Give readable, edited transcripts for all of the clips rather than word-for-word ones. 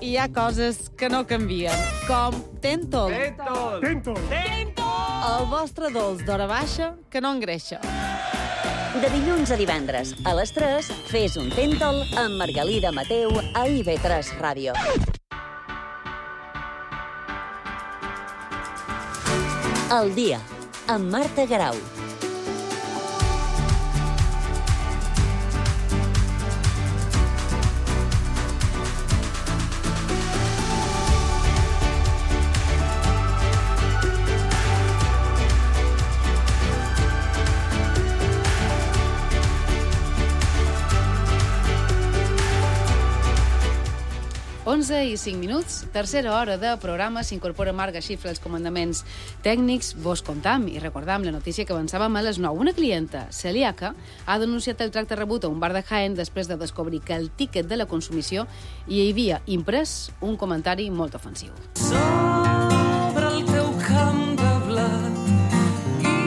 hi ha coses que no canvien, com Tentol. Tentol! El vostre dolç d'hora baixa que no engreixa. De dilluns a divendres, a les 3, fes un Tentol amb Margalida Mateu a IB3 Ràdio. El dia, amb Marta Garau. I 5 minuts, tercera hora de programa, s'incorpora Marga Xifra als comandaments tècnics. Vos contam i recordam la notícia que avançàvem a les 9. Una clienta celíaca ha denunciat el tracte rebut a un bar de Jaén després de descobrir que el tíquet de la consumició hi havia imprès un comentari molt ofensiu. Sobre el teu camp de blat i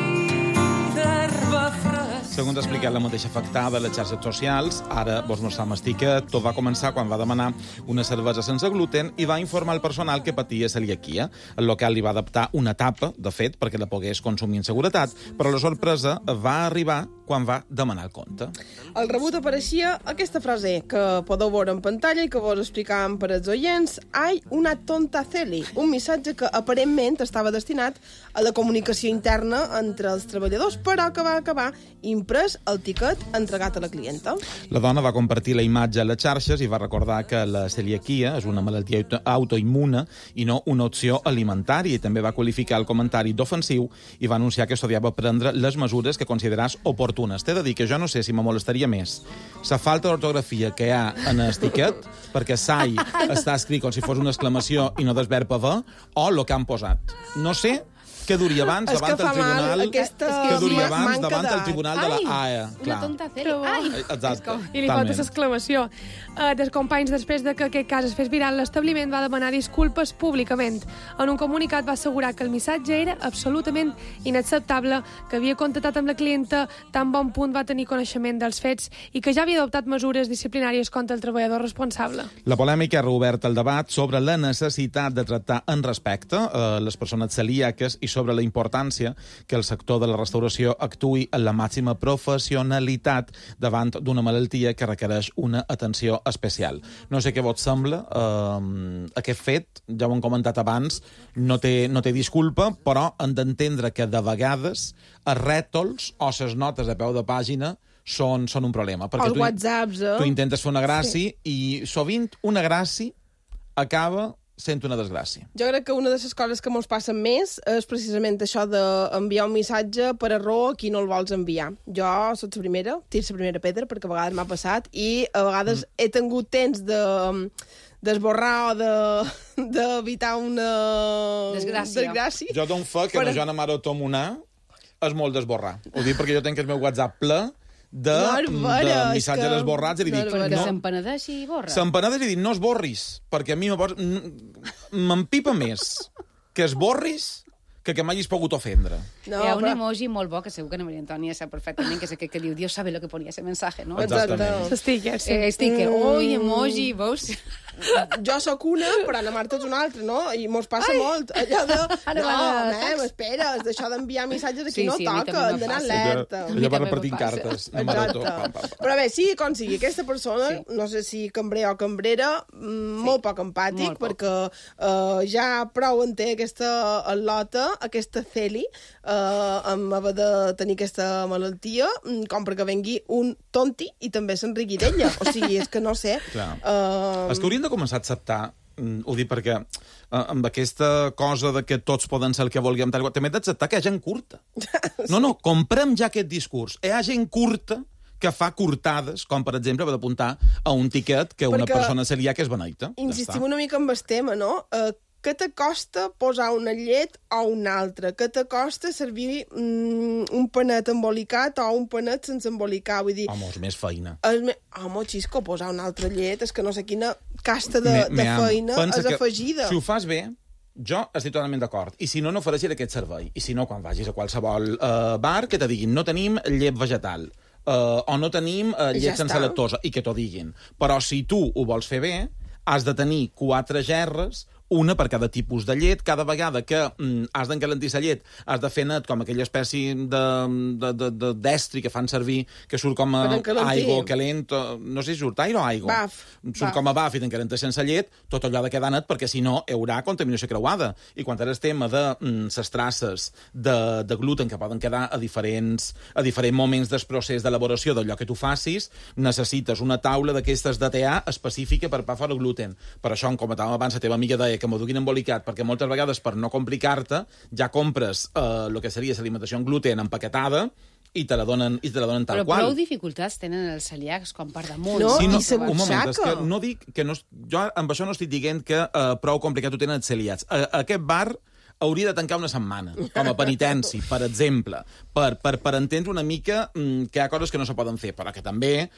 d'herba fresca. Segons ha explicat la mateixa afectada a les xarxes socials, ara vos mostrem el tiquet. Tot va començar quan va demanar una cervesa sense gluten i va informar al personal que patia celiaquia. El local li va adaptar una tapa, de fet, perquè la pogués consumir en seguretat, però la sorpresa va arribar quan va demanar el compte. Al rebut apareixia aquesta frase que podeu veure en pantalla i que vos explicàvem per als oients. Hay una tonta celi, un missatge que aparentment estava destinat a la comunicació interna entre els treballadors, però que va acabar imprès el tiquet entregat a la clienta. La dona va compartir la imatge a les xarxes i va recordar que la celiaquia és una malaltia autoimmune i no una opció alimentària, i també va qualificar el comentari d'ofensiu i va anunciar que estudiava prendre les mesures que consideràs oportunes. T'he de dir que jo no sé si me molestaria més la falta d'ortografia que hi ha en el tiquet, perquè sai està escrit com si fos una exclamació i no desverb haver, o el que han posat. No sé què duria abans davant del tribunal, davant del tribunal de la AE. Una tonta celi. Ai! Exacte. I li falta l'exclamació. Dels companys, després de que aquest cas es fes viral, l'establiment va demanar disculpes públicament. En un comunicat va assegurar que el missatge era absolutament inacceptable, que havia contactat amb la clienta tan bon punt va tenir coneixement dels fets i que ja havia adoptat mesures disciplinàries contra el treballador responsable. La polèmica ha reobert el debat sobre la necessitat de tractar en respecte les persones celíaques i sobre la importància que el sector de la restauració actuï en la màxima professionalitat davant d'una malaltia que requereix una atenció especial. No sé què vos sembla. Aquest fet, ja ho hem comentat abans, no té disculpa, però hem d'entendre que de vegades els rètols o les notes a peu de pàgina són un problema. Perquè Els whatsapps, tu intentes fer una gràcia i sovint una gràcia acaba sent una desgràcia. Jo crec que una de les coses que ens passen més és precisament això d'enviar un missatge per error a qui no el vols enviar. Jo soc la primera, tiro la primera pedra, perquè a vegades m'ha passat, i a vegades he tingut temps d'esborrar o d'evitar una desgràcia. Jo dono fe que la Joana Maro Tomonar és molt d'esborrar. Ho dic perquè jo tenc el meu WhatsApp ple de missatges esborrats i li dic... Perquè s'empenedeix i borra. S'empenedeix i dic, no esborris, perquè a mi m'empipa més que esborris que m'hagis pogut ofendre. No, hi ha un emoji molt bo, que segur que la Maria Antònia sap perfectament, que és aquell que diu Dios sabe lo que ponía ese mensaje, no? Exactament. Sticker, sí. Sticker. Ui, emoji, veus? Jo sóc una, però la Marta és una altra, no? I mos passa molt. Allò de... espera, és d'això d'enviar missatges a qui no toca, hem d'anar alerta. Ella va repartint cartes. Però bé, sigui com sigui, aquesta persona, no sé si cambrer o cambrera, molt poc empàtic, perquè ja prou en té aquesta al·lota, aquesta celi, amb haver de tenir aquesta malaltia, com perquè vengui un tonti i també s'enriqui d'ella. O sigui, és que no sé... És que hauríem de començar a acceptar, ho dic perquè amb aquesta cosa de que tots poden ser el que vulguem, també hem d'acceptar que hi ha gent curta. No, comprem ja aquest discurs. Hi ha gent curta que fa curtades, com per exemple haver d'apuntar a un tiquet que una persona celíaca és beneita. Insistim una mica amb el tema, no? Què t'acosta posar una llet o una altra? Què t'acosta servir un panet embolicat o un panet sense embolicar? Vull dir... Home, és més feina. Home, xisco, posar una altra llet, és que no sé quina casta de feina és afegida. Si ho fas bé, jo estic totalment d'acord. I si no, no ofereixis aquest servei. I si no, quan vagis a qualsevol bar, que te diguin no tenim llet vegetal o no tenim llet sense lactosa, i que t'ho diguin. Però si tu ho vols fer bé, has de tenir 4 gerres, una per cada tipus de llet. Cada vegada que has d'encalentir la llet, has de fer net com aquella espècie d'estri que fan servir, que surt com a aigua calent, no sé si surt aire o aigua. Surt com a baf i t'encalenta sense llet, tot allò ha de quedar net, perquè si no hi haurà contaminació creuada. I quan és el tema de les traces de gluten que poden quedar a diferents moments del procés d'elaboració d'allò que tu facis, necessites una taula d'aquestes DTA específica per pa fora gluten. Per això, com comentàvem abans, la teva amiga deia que m'ho duguin embolicat, perquè moltes vegades, per no complicar-te, ja compres el que seria l'alimentació en gluten empaquetada i te la donen tal qual. Però prou dificultats tenen els celíacs quan per damunt. No, sí, i se un moment, és que butxaca. no dic que no, jo amb això no estic dient que prou complicat ho tenen els celiats. Aquest bar hauria de tancar una setmana, com a penitència, per exemple, per entendre una mica que hi ha coses que no se poden fer, però que també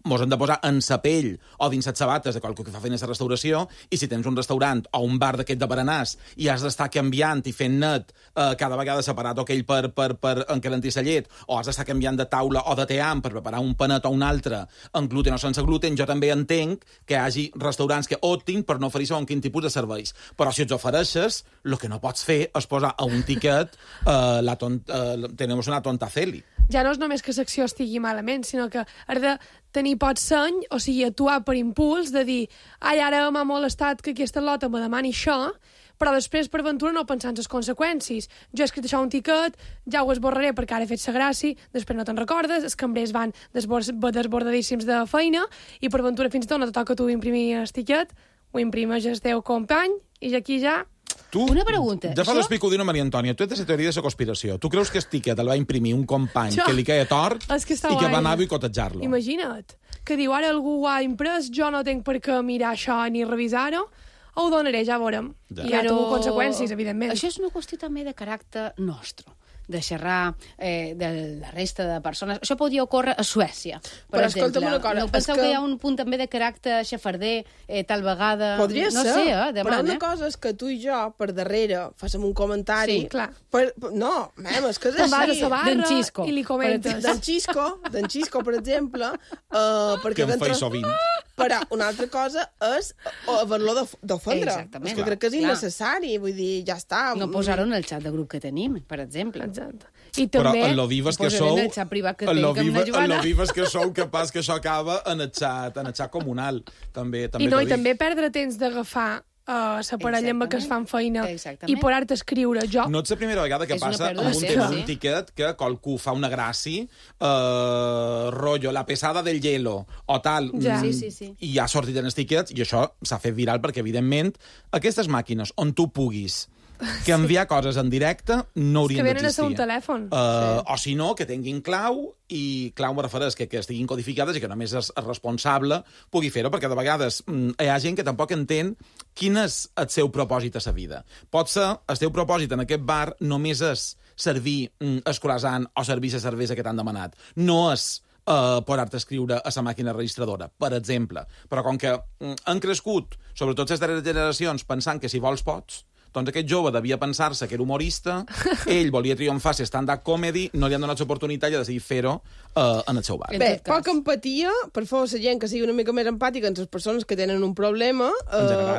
mos hem de posar en sa pell o dins les sabates de qualque que fa feina de restauració, i si tens un restaurant o un bar d'aquest de berenars i has d'estar canviant i fent net cada vegada separat aquell per encalentir la llet, o has d'estar canviant de taula o de team per preparar un panet o un altre en gluten o sense gluten, jo també entenc que hi hagi restaurants que optin per no oferir segons quin tipus de serveis. Però si ets ofereixes, el que no pots fer és posar a un tiquet tenemos una tonta celi. Ja no és només que l'acció estigui malament, sinó que has de tenir pot seny, o sigui, actuar per impuls, de dir, ai, ara m'ha molestat que aquesta lota me demani això, però després, per ventura, no pensar en les conseqüències. Jo he escrit això a un tiquet, ja ho esborraré perquè ara he fet la gràcia, després no te'n recordes, els cambrers van desbordadíssims de feina, i per ventura fins i tot no te toca tu imprimir el tiquet, ho imprimeix el teu company, i aquí ja... Tu, una pregunta. Ja fa l'explico d'una Maria Antònia. Tu ets de la teoria de la conspiració. Tu creus que el tiquet el va imprimir un company que li queia tort i que va anar a boicotejar-lo? Imagina't, que diu, ara algú ho ha imprès, jo no tinc per què mirar això ni revisar-ho, ho donaré, ja veurem. I ja tinc conseqüències, evidentment. Això és una qüestió també de caràcter nostre, de xerrar de la resta de persones. Això podria ocórrer a Suècia, per exemple. Escolta'm una cosa. No penseu que hi ha un punt també de caràcter xafarder, tal vegada... Podria no ser, sé, però una cosa és que tu i jo, per darrere, fàssim un comentari... Sí, clar. No, és que és Te'n vas a així. la barra D'en Xisco. i li comentes. D'en Xisco, per exemple, perquè Que em feia sovint. Però una altra cosa és haver-lo d'ofendre. Exactament. És que crec que és innecessari, vull dir, ja està. No posar-ho en el xat de grup que tenim, per exemple. Exacte. I Però també... en lo vives que posaré sou... en el xat privat que tinc amb la Joana. En lo vives que sou capaç que això acaba en el xat comunal. També I també perdre temps d'agafar la parella amb què es fan feina i posar-te a escriure. Jo... No ets la primera vegada que passa amb un tema d'un tiquet que qualcú fa una gràcia, rotllo, la pesada del hielo, o tal, i ha sortit en els tiquets, i això s'ha fet viral perquè, evidentment, aquestes màquines on tu puguis canviar coses en directe no haurien d'existir. Que venen a ser un telèfon. O si no, que tinguin clau, i clau me refereix que estiguin codificades i que només és responsable pugui fer-ho, perquè de vegades hi ha gent que tampoc entén quin és el seu propòsit a la vida. Pot ser, el teu propòsit en aquest bar només és servir el croissant o servir la cervesa que t'han demanat. No és posar-te a escriure a la màquina registradora, per exemple. Però com que han crescut, sobretot les darreres generacions, pensant que si vols pots, doncs aquest jove devia pensar-se que era humorista, ell volia triomfar si stand-up comedy, no li han donat l'oportunitat i ha decidit fer-ho en el seu bar. Bé, poca empatia, per favor, la gent que sigui una mica més empàtica amb les persones que tenen un problema,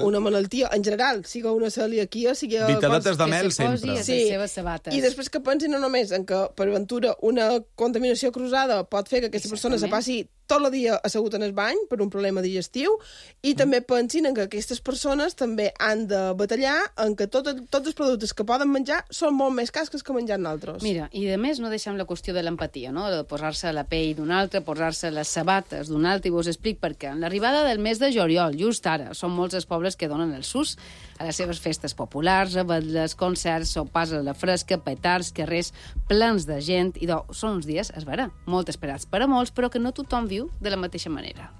una malaltia, en general, sigui una celiaquia, sigui... Vitadetes de mel, sempre. Sí, i després que pensin no només en que, per aventura, una contaminació cruzada pot fer que aquesta persona se passi tot el dia assegut en el bany per un problema digestiu, i també pensin en que aquestes persones també han de batallar en que tots els productes que poden menjar són molt més cars que menjar nosaltres. Mira, i a més no deixem la qüestió de l'empatia, no? De posar-se a la pell d'un altre, posar-se les sabates d'un altre, i vos explic per què. En l'arribada del mes de juliol, just ara, són molts els pobles que donen el sus a les seves festes populars, avetles, concerts, sopars a la fresca, petards, carrers plens de gent, i són uns dies, es verà, molt esperats per a molts, però que no tothom viu de la mateixa manera.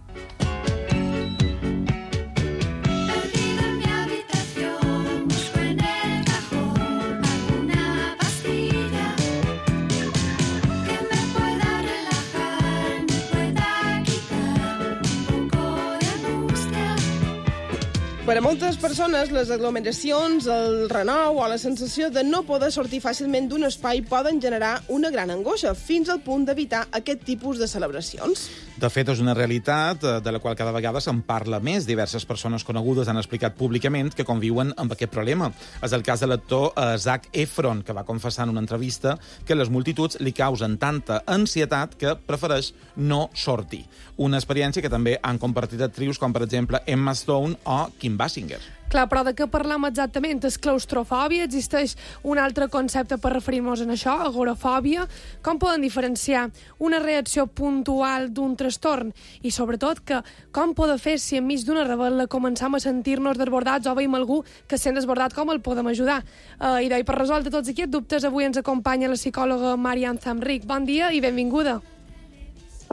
Per a moltes persones, les aglomeracions, el renou o la sensació de no poder sortir fàcilment d'un espai poden generar una gran angoixa, fins al punt d'evitar aquest tipus de celebracions. De fet, és una realitat de la qual cada vegada se'n parla més. Diverses persones conegudes han explicat públicament que conviuen amb aquest problema. És el cas de l'actor Zac Efron, que va confessar en una entrevista que les multituds li causen tanta ansietat que prefereix no sortir. Una experiència que també han compartit actrius com, per exemple, Emma Stone o Kim Basinger. Clar, però de què parlem exactament? És claustrofòbia? Existeix un altre concepte per referir-nos a això? Agorafòbia? Com poden diferenciar una reacció puntual d'un trastorn? I sobretot, com poden fer si enmig d'una rebel·la començam a sentir-nos desbordats o veiem algú que es sent desbordat, com el podem ajudar? I per resoldre tots aquests dubtes, avui ens acompanya la psicòloga Marian Zamric. Bon dia i benvinguda.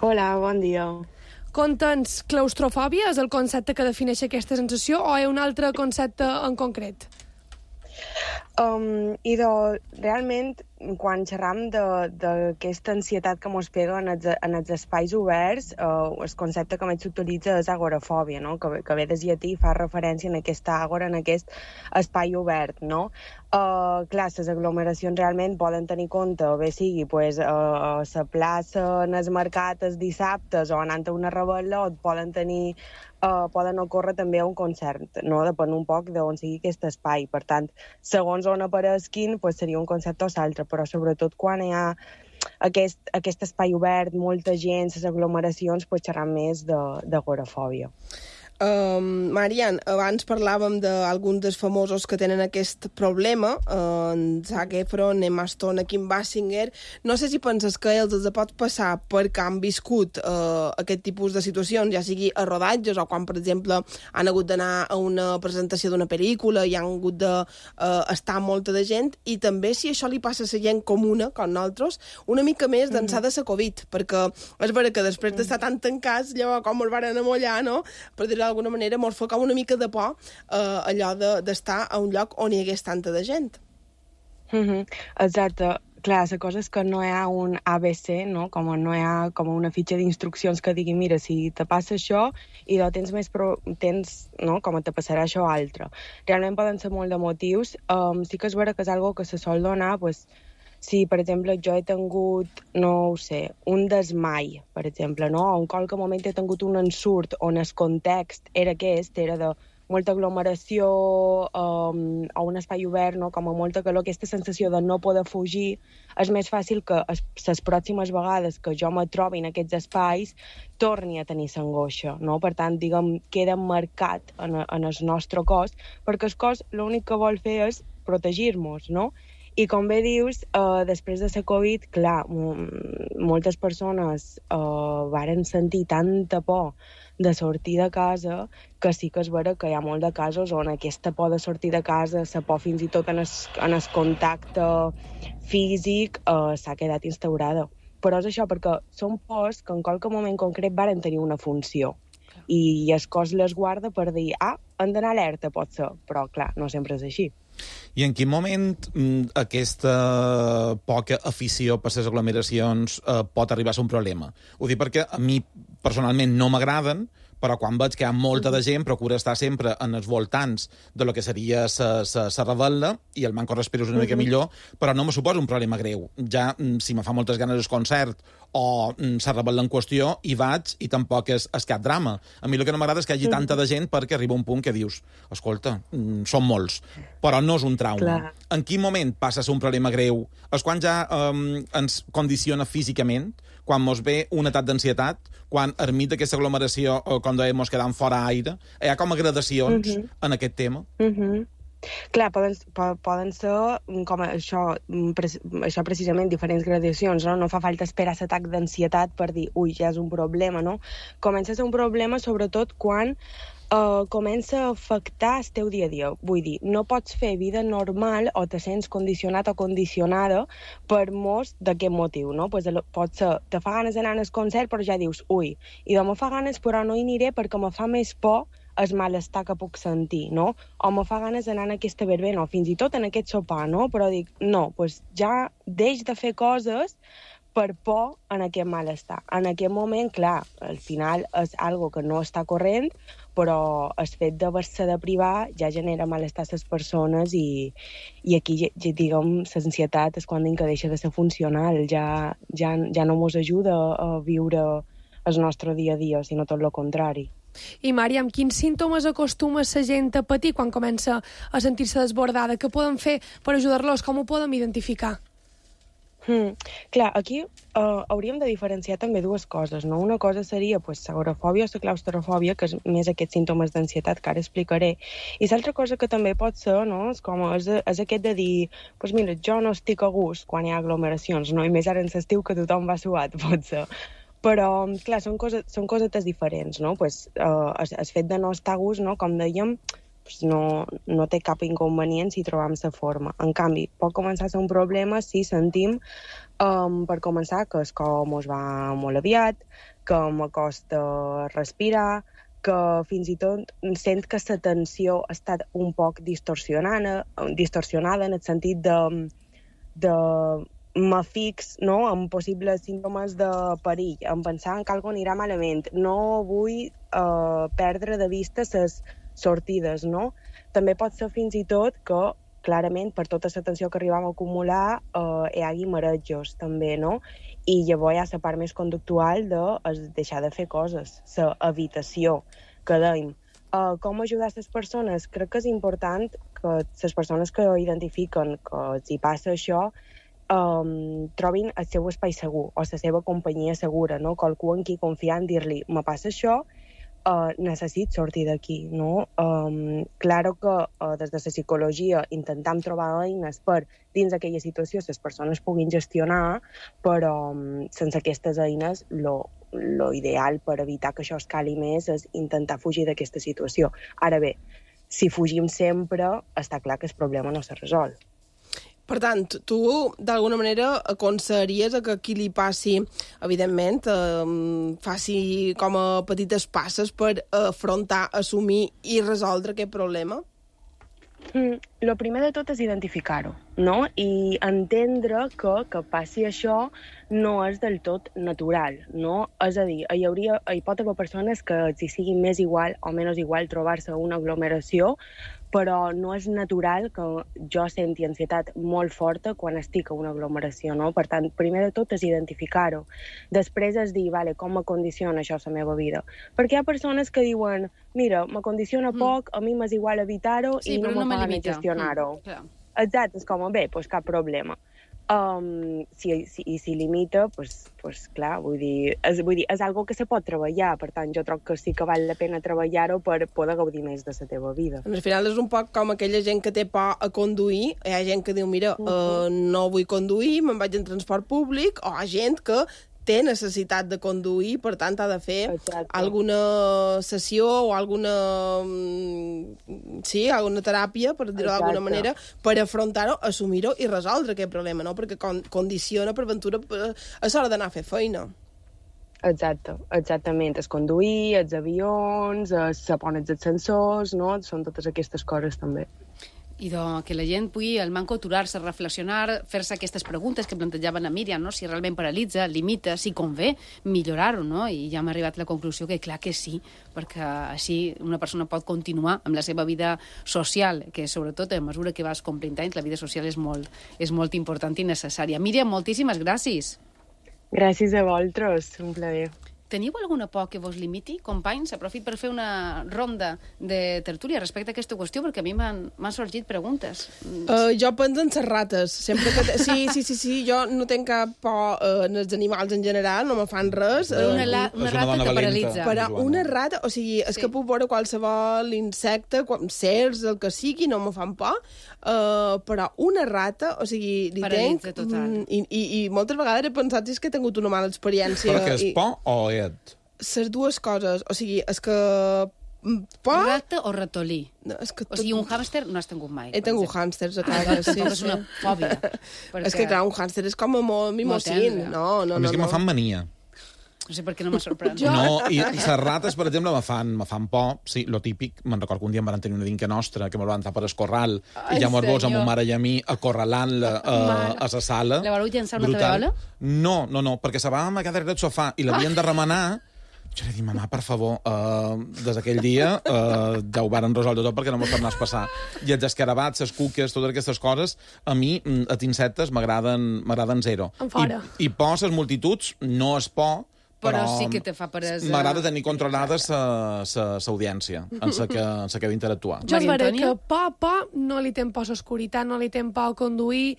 Hola, bon dia. Conta'ns, claustrofòbia és el concepte que defineix aquesta sensació o hi ha un altre concepte en concret? Realment, quan xerram d'aquesta ansietat que ens pega en els espais oberts, el concepte que més s'utilitza és agorafòbia, no? que ve de llatí i fa referència en aquesta àgora, en aquest espai obert. No? Clar, les aglomeracions realment poden tenir compte, bé sigui a la plaça, en el mercat, els dissabtes, o anant a una rebel·la, o poden ocórrer també a un concert, no? Depèn un poc d'on sigui aquest espai. Per tant, segons on apareguin, seria un concepte o l'altre, però sobretot quan hi ha aquest espai obert, molta gent, les aglomeracions, xerram més d'agorafòbia. Marian, abans parlàvem d'alguns dels famosos que tenen aquest problema, en Zac Efron, Emma Stone, Kim Basinger. No sé si penses que ells els pot passar perquè han viscut aquest tipus de situacions, ja sigui a rodatges o quan, per exemple, han hagut d'anar a una presentació d'una pel·lícula i han hagut d'estar molta de gent, i també si això li passa a la gent comuna, com nosaltres, una mica més d'ençà de la Covid, perquè és vera que després d'estar tan tancats, llavors com els van amollar, no?, per dir d'alguna manera, mos fa com una mica de por allò d'estar a un lloc on hi hagués tanta de gent. Exacte. Clar, la cosa és que no hi ha un ABC, no? Com no hi ha com una fitxa d'instruccions que digui, mira, si te passa això i tens no? Com te passarà això altre. Realment poden ser molt de motius. Sí que és vera que és algo que se sol donar, si, per exemple, jo he tingut, no ho sé, un desmai, per exemple, no? O en qualque moment he tingut un ensurt on el context era aquest, era de molta aglomeració o un espai obert, no? Com a molta calor, aquesta sensació de no poder fugir, és més fàcil que les pròximes vegades que jo me trobi en aquests espais torni a tenir l'angoixa, no? Per tant, diguem, queda marcat en el nostre cos, perquè el cos l'únic que vol fer és protegir-nos, no? I com bé dius, després de la Covid, clar, moltes persones varen sentir tanta por de sortir de casa que sí que és vera que hi ha molt de casos on aquesta por de sortir de casa, la por fins i tot en el contacte físic, s'ha quedat instaurada. Però és això, perquè són pors que en qualque moment concret varen tenir una funció. I el cos les guarda per dir, han d'anar alerta, pot ser, però clar, no sempre és així. I en quin moment aquesta poca afició per les aglomeracions pot arribar a ser un problema? Ho dic perquè a mi personalment no m'agraden, però quan veig que hi ha molta de gent procura estar sempre en els voltants de lo que seria la rebel·la i el manco respiros una mica millor, però no me suposa un problema greu. Ja, si me fa moltes ganes el concert o la rebel·la en qüestió, hi vaig i tampoc és cap drama. A mi el que no m'agrada és que hi hagi tanta de gent perquè arriba un punt que dius, escolta, són molts, però no és un trauma. Clar. En quin moment passa a ser un problema greu? És quan ja ens condiciona físicament? Quan mos ve un atac d'ansietat, quan enmig d'aquesta aglomeració, com dèiem, mos quedam fora aire, hi ha com a gradacions en aquest tema? Clar, poden ser com això precisament, diferents gradacions, no? No fa falta esperar l'atac d'ansietat per dir, ui, ja és un problema, no? Comença a ser un problema sobretot quan comença a afectar el teu dia a dia. Vull dir, no pots fer vida normal o te sents condicionat o condicionada per molts d'aquest motiu, no? Pues pot ser, te fa ganes d'anar al concert, però ja dius, ui, i me fa ganes, però no hi aniré perquè me fa més por el malestar que puc sentir, no? O me fa ganes d'anar en aquesta verbena, o fins i tot en aquest sopar, no? Però dic, no, pues ja deix de fer coses per por en aquest malestar. En aquest moment, clar, al final és algo que no està corrent, però el fet d'haver-se de privar ja genera malestar a les persones i aquí, diguem, l'ansietat és quan que deixa de ser funcional, ja no ens ajuda a viure el nostre dia a dia, sinó tot el contrari. I, Mària, amb quins símptomes acostuma la gent a patir quan comença a sentir-se desbordada? Què poden fer per ajudar-los? Com ho podem identificar? Clar, aquí hauríem de diferenciar també dues coses, no? Una cosa seria l'agorafòbia o la claustrofòbia, que és més aquests símptomes d'ansietat que ara explicaré, i l'altra cosa que també pot ser, no? És aquest de dir, mira, jo no estic a gust quan hi ha aglomeracions, no? I més ara en l'estiu que tothom va suat, pot ser. Però, clar, són cosetes diferents, no? El fet de no estar a gust, no? Com dèiem, no té cap inconvenient si trobam la forma. En canvi, pot començar a ser un problema si sentim, per començar, que el cor mos va molt aviat, que m'acosta respirar, que fins i tot sent que la tensió ha estat un poc distorsionada en el sentit de m'afix, no?, amb possibles símptomes de perill, en pensar que alguna anirà malament. No vull perdre de vista les sortides, no? També pot ser fins i tot que, clarament, per tota la tensió que arribam a acumular, hi hagi marejos, també, no? I llavors hi ha la part més conductual de deixar de fer coses, la evitació, que dèiem. Com ajudar les persones? Crec que és important que les persones que identifiquen que els hi passa això trobin el seu espai segur o la seva companyia segura, no? Qualcú en qui confiar en dir-li, me passa això, necessit sortir d'aquí, no? Claro que des de la psicologia intentem trobar eines per, dins d'aquella situació, les persones puguin gestionar, però sense aquestes eines, lo ideal per evitar que això escali més és intentar fugir d'aquesta situació. Ara bé, si fugim sempre, està clar que el problema no se resol. Per tant, tu, d'alguna manera, aconsellaries que qui li passi, evidentment, faci com a petites passes per afrontar, assumir i resoldre aquest problema? Lo primer de tot és identificar-ho, no? I entendre que passi això no és del tot natural, no? És a dir, hi pot haver persones que els hi sigui més igual o menys igual trobar-se a una aglomeració, però no és natural que jo senti ansietat molt forta quan estic a una aglomeració, no? Per tant, primer de tot és identificar-ho. Després és dir, vale, com me condiciona això la meva vida? Perquè hi ha persones que diuen, mira, me condiciona poc, a mi m'és igual evitar-ho i no me fa ganes gestionar-ho. Exacte, és com, bé, doncs cap problema. Si limita, doncs clar, vull dir, és algo que se pot treballar, per tant, jo trobo que sí que val la pena treballar-ho per poder gaudir més de la teva vida. Al final és un poc com aquella gent que té por a conduir, hi ha gent que diu, mira, no vull conduir, me'n vaig en transport públic, o hi ha gent que té necessitat de conduir, per tant ha de fer alguna sessió o alguna teràpia, per dir-ho d'alguna manera, per afrontar-ho, assumir-ho i resoldre aquest problema, no? Perquè condiciona per ventura a l'hora d'anar a fer feina. Exactament. Es conduir, els avions, se ponen els ascensors, no? Són totes aquestes coses també. I que la gent pugui, al manco, aturar-se, reflexionar, fer-se aquestes preguntes que plantejaven a Míriam, no? Si realment paralitza, limita, si convé, millorar-ho, no? I ja hem arribat a la conclusió que clar que sí, perquè així una persona pot continuar amb la seva vida social, que sobretot a mesura que vas complint anys, la vida social és molt important i necessària. Míriam, moltíssimes gràcies. Gràcies a vosaltres, un plaer. Teniu alguna por que vos limiti, companys? Aprofit per fer una ronda de tertúlia respecte a aquesta qüestió, perquè a mi m'han sorgit preguntes. Jo penso en les rates. Sempre que sí, jo no tinc cap por en els animals en general, no me fan res. Una rata que paralitza. Però una rata, o sigui, és que puc veure qualsevol insecte, cercs, el que sigui, no me fan por, però una rata, o sigui, li paralitza tenc... total. I moltes vegades he pensat si és que he tingut una mala experiència. Però que és por o les dues coses, o sigui, és que... Rata o ratolí? No, és que o sigui, un hàmster no has tingut mai. He tingut hàmsters a casa, sí. És una fòbia. És que, clar, un hàmster és com molt mimosín. No. A més que me fan mania. No sé per què no m'ha sorprès. No, i les rates, per exemple, me fan por. Sí, lo típic. Me'n recordo que un dia em van tenir una dinca nostra que me van tapar el corral i ja mos amb ma mare i a mi acorralant-la a la sala. La vareu llençar una tabeola? No, perquè se va quedar darrere del sofà i l'havien de remenar. Jo li dic, mamà, per favor, des d'aquell dia ja ho varen resoldre tot perquè no m'ho tornàs a passar. I els escarabats, les cuques, totes aquestes coses, a mi, els insectes, m'agraden zero. En fora. I por, les multituds, no és por, Però sí que te fa peresa. M'agrada tenir controlada l'audiència en la que he d'interactuar. Jo Maria veuré Antònia? que por no li tem por l'oscuritat, no li tem por conduir.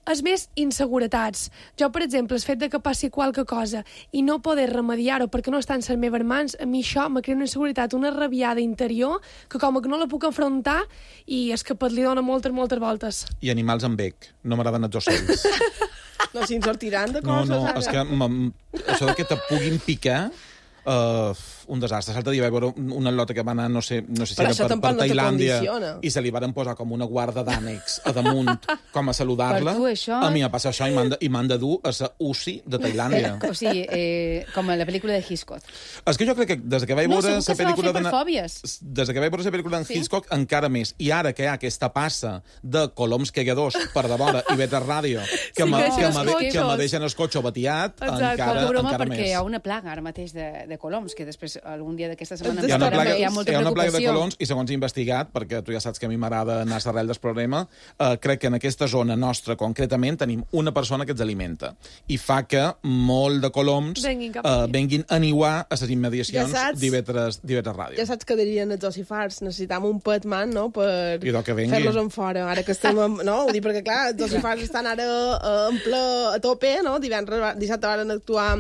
És més inseguretats. Jo, per exemple, el fet de que passi qualque cosa i no poder remediar-ho perquè no està en les meves mans, a mi això me crea una inseguretat, una rabiada interior, que com que no la puc enfrontar i és que li dona moltes voltes. I animals amb bec. No m'agraden els ocells. No, si ens sortiran de No, coses. és que això de que te puguin picar... un desastre. L'altre dia vaig veure una lota que va anar, no sé si Però era això per tampoc no te Tailàndia, condiciona. i se li varen posar com una guarda d'ànecs a damunt, com a saludar-la. Per tu, això- A mi m'ha passat això i m'han de dur a la UCI de Tailàndia. O sigui, com a la pel·lícula de Hitchcock. És que jo crec que des que vaig No, veure segur que la se va pel·lícula fer per de fòbies. des que vaig veure la pel·lícula d'en Hitchcock encara més. I ara que hi ha aquesta passa de coloms cagadors per de vora i vet a ràdio que Sí, me que deixen els deixen cotxos. el cotxe batiat, Exacte. encara Broma, més. perquè hi ha una plaga ara mateix de coloms, que després algun dia d'aquesta setmana Hi ha una plaga, hi ha molta hi ha una plaga de preocupació. colons i segons he investigat, perquè tu ja saps que a mi m'agrada anar a l'arrel del problema, crec que en aquesta zona nostra concretament tenim una persona que ens alimenta i fa que molt de coloms Venguin cap aquí. venguin a niuar a les immediacions Ja saps. d'Ivetres Ràdio. Ja saps que dirien els ossifars, necessitam un petman, no?, per I que vengui. fer-los en fora. Ara que estem... No, ho dic perquè, clar, els ossifars estan ara en ple a tope, no? Dissabte van actuar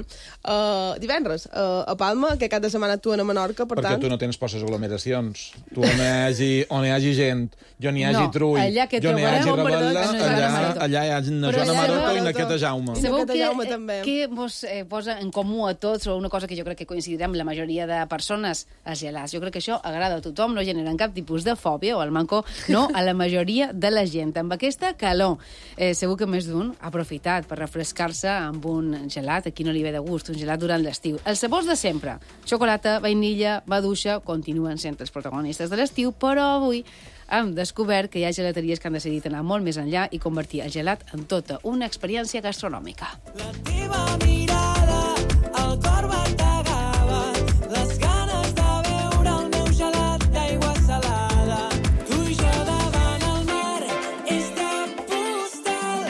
divendres a Palma, que cada setmana actuen a Menorca, per Perquè tant... tu no tens por a les aglomeracions. Tu on hi hagi gent, on hi hagi No, trull, allà que on hi hagi trobarem rebel·la, en Joana Marató. allà hi ha una Però Joana sabeu- Marató i una Queta Jaume. Sí. Sabeu Aquest Jaume també. que vos posa en comú a tots, o una cosa que jo crec que coincidirem la majoria de persones, els gelats. Jo crec que això agrada a tothom, no generen cap tipus de fòbia, o al manco, no, a la majoria de la gent. Amb aquesta calor, segur que més d'un ha aprofitat per refrescar-se amb un gelat, aquí no li ve de gust, un gelat durant l'estiu. Els sabors de sempre, xocolata, vainilla, maduixa, continuen sent els protagonistes de l'estiu, però avui hem descobert que hi ha gelateries que han decidit anar molt més enllà i convertir el gelat en tota una experiència gastronòmica. La teva mirada, el cor bategava, les ganes de beure el meu gelat d'aigua salada. Tu i jo davant el mar, és de postal,